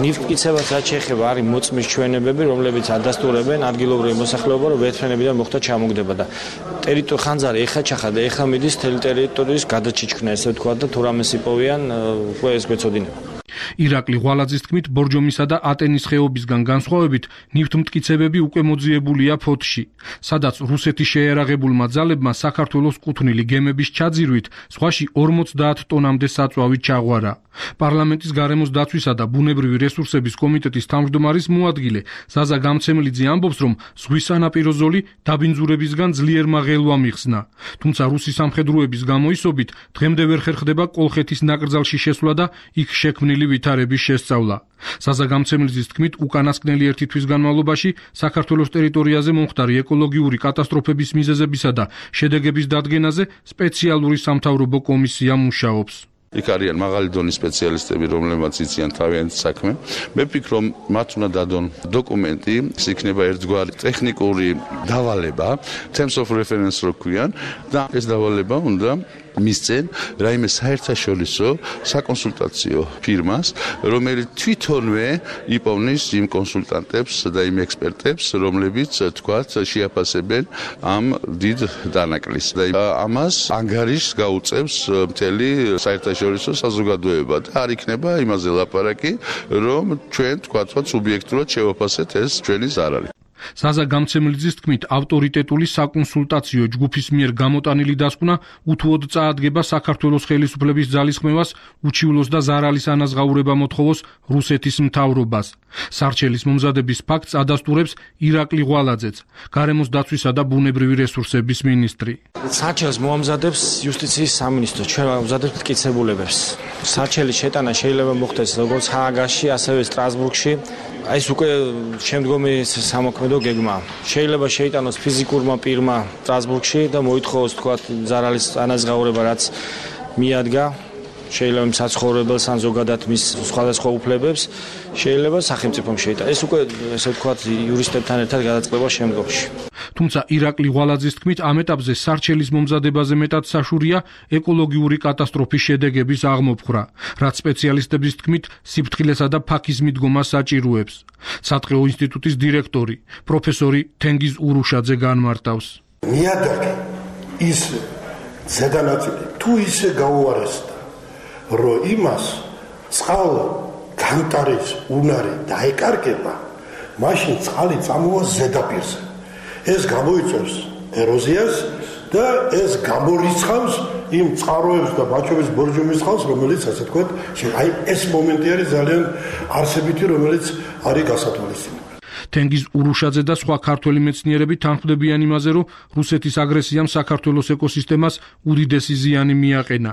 ნივთკიცებას რაც შეეხება, არის მოწმის ჩვენებები, რომლებიც ადასტურებენ ადგილობრივი მოსახლეობა, რომ ვერტმფრენებიდან მოხდა ჩამოგდება და ტერიტორია ხანძარი ეხა ჩახადა, ეხა მიდის თელი ტერიტორიის გადაჩიჩქნა, ესე ვთქვა და თუ რამე სიპოვიან, უკვე ეს გვეცოდინება. ირაკლი ღვალაძის თქმით, ბორჯომისა და ატენის ხეობისგან განსხვავებით, ნივთმტკიცებები უკვე მოძიებულია ფოთში, სადაც რუსეთის შეერაღებულმა ძალებმა საქართველოს კუთვნილი გემების ჩაძირვით ზღვაში ორმოცდაათ ტონამდე საწვავი ჩაღვარა. პარლამენტის გარემოს დაცვისა და ბუნებრივი რესურსების კომიტეტის თავმჯდომარის მოადგილე ზაზა გამცემლიძე ამბობს, რომ ზღვის სანაპირო ზოლი დაბინძურებისგან ძლიერმა ღელვამ იხსნა. თუმცა რუსი სამხედროების გამოისობით დღემდე ვერ ხერხდება კოლხეთის ნაკრძალში შესვლა და იქ შექმნილი ვითარების შესწავლა. ზაზა გამცემლიძის თქმით, უკანასკნელი ერთი თვის განმავლობაში საქართველოს ტერიტორიაზე მომხდარი ეკოლოგიური კატასტროფების მიზეზებისა და შედეგების დადგენაზე სპეციალური სამთავრობო კომისია მუშაობს. იქ არიან მაღალი დონის სპეციალისტები, რომლებმაც იციან თავიანთი საქმე. მე ვფიქრობ, რომ მათ უნდა დადონ დოკუმენტი, ეს იქნება ერთგვარი ტექნიკური დავალება, terms of reference რო ქვიან და ეს დავალება უნდა მისცენ რაიმე საერთაშორისო საკონსულტაციო ფირმას, რომელიც თვითონვე იპოვნის იმ კონსულტანტებს და იმ ექსპერტებს, რომლებიც თქვათ შეაფასებენ ამ დიდ დანაკლისს. და ამას ანგარიშს გაუწევს მთელი საერთაშორისო საზოგადოება და არ იქნება იმაზე ლაპარაკი, რომ ჩვენ თქვათ სუბიექტურად შევაფასეთ ეს ჩვენი ზარალი. ზაზა გამცემლიძის თქმით, ავტორიტეტული საკონსულტაციო ჯგუფის მიერ გამოტანილი დასკვნა უთუოდ წაადგება საქართველოს ხელისუფლების ძალისხმევას, უჩივლოს და ზარალის ანაზღაურება მოთხოვოს რუსეთის მთავრობას. სარჩელის მომზადების ფაქტს ადასტურებს ირაკლი ღვალაძეც, გარემოს დაცვისა და ბუნებრივი რესურსების მინისტრი. სარჩელს მოამზადებს იუსტიციის სამინისტრო, ჩვენ ვამზადებთ მტკიცებულებებს. სარჩელის შეტანა შეიძლება მოხდეს როგორც ჰააგაში, ასევე სტრასბურგში. ეს უკვე შემდგომი სამოქმედო გეგმა. შეიძლება შეიტანოს ფიზიკურმა პირმა სტრასბურგში და მოითხოვოს თქვათ ზარალის ანაზღაურება, რაც მიადგა. შეიძლება საცხოვრებელს ან ზოგადად მის სხვადასხვა უფლებებს, შეიძლება სახელმწიფომ შეიტანოს. ეს უკვე ესე ვთქვათ იურისტებთან ერთად გადაწყდება შემდგომში. თუმცა ირაკლი ღვალაძის თქმით, ამ ეტაპზე სარჩელის მომზადებაზე მეტად საშურია ეკოლოგიური კატასტროფის შედეგების აღმოფხვრა, რაც სპეციალისტების თქმით სიფრთხილესა და ფაქის მიდგომას საჭიროებს. სატყეო ინსტიტუტის დირექტორი, პროფესორი თენგიზ ურუშაძე განმარტავს. ნიადაგი ის ზედანაწილი თუ ისე გაუარესდა, რომ იმას წყალ განტარის უნარი დაეკარგება, მაშინ წყალი წამოვა ზედაპირზე. ეს გამოიწვევს ეროზიას და ეს გამორიცხავს იმ წყაროებს და ბაჩოვის ბორჯომის წყალს, რომელიც ასე თქვათ, აი ეს მომენტი არის ძალიან არსებითი, რომელიც არის გასათვალისწინებელი. თენგიზ ურუშაძე და სხვა ქართველი მეცნიერები თანხმდებიან იმაზე, რომ რუსეთის აგრესიამ საქართველოს ეკოსისტემას უდიდესი ზიანი მიაყენა.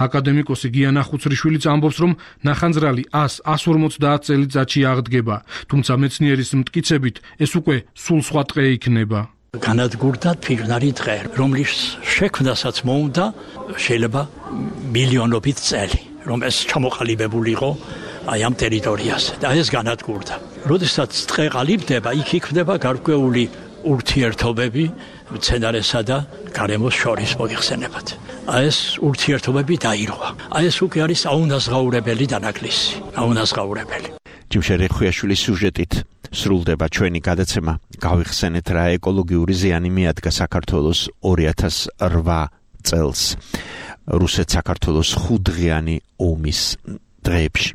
აკადემიკოსი გია ნახუცრიშვილიც ამბობს, რომ ნახანძრალი ას ორმოცდაათ წელიწადში აღდგება, თუმცა მეცნიერის მტკიცებით ეს უკვე სულ სხვა ტყე იქნება. განადგურდა ფიგნარი დღე, რომლის შექმნასაც მოუნდა შეიძლება მილიონობით წელი, რომ ეს ჩამოყალიბებულიყო აი ამ ტერიტორიაზე და ეს განადგურდა. როდესაც ტყე ყალიბდება, იქ იქნება გარკვეული ურთიერთობები მცენარესა და გარემოს შორის მოიხსენებათ. აი ეს ურთიერთობები დაირღვა. აი ეს უკვე არის აუნაზღაურებელი დანაკლისი, აუნაზღაურებელი. ჯიმშე რეხვიაშვილის სიუჟეტით სრულდება ჩვენი გადაცემა. გავიხსენეთ რა ეკოლოგიური ზიანი მიადგა საქართველოს ორი ათას ოთხ წელს რუსეთ-საქართველოს ხუთდღიანი ომის დღეებში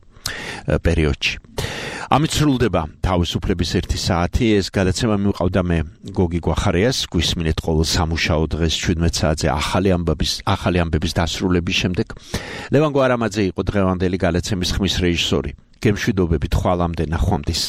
პერიოდში. ამით სრულდება თავისუფლების ერთი საათი. ეს გადაცემა მივყავდა მე გოგი გვახარიას. გვისმინეთ ყოველ სამუშაო დღეს შვიდმეტ საათზე ახალი ამბების ახალი ამბების დასრულების შემდეგ. ლევან გვარამაძე იყო დღევანდელი გადაცემის ხმის რეჟისორი. გემშვიდობებით ხვალამდე ნახვამდის.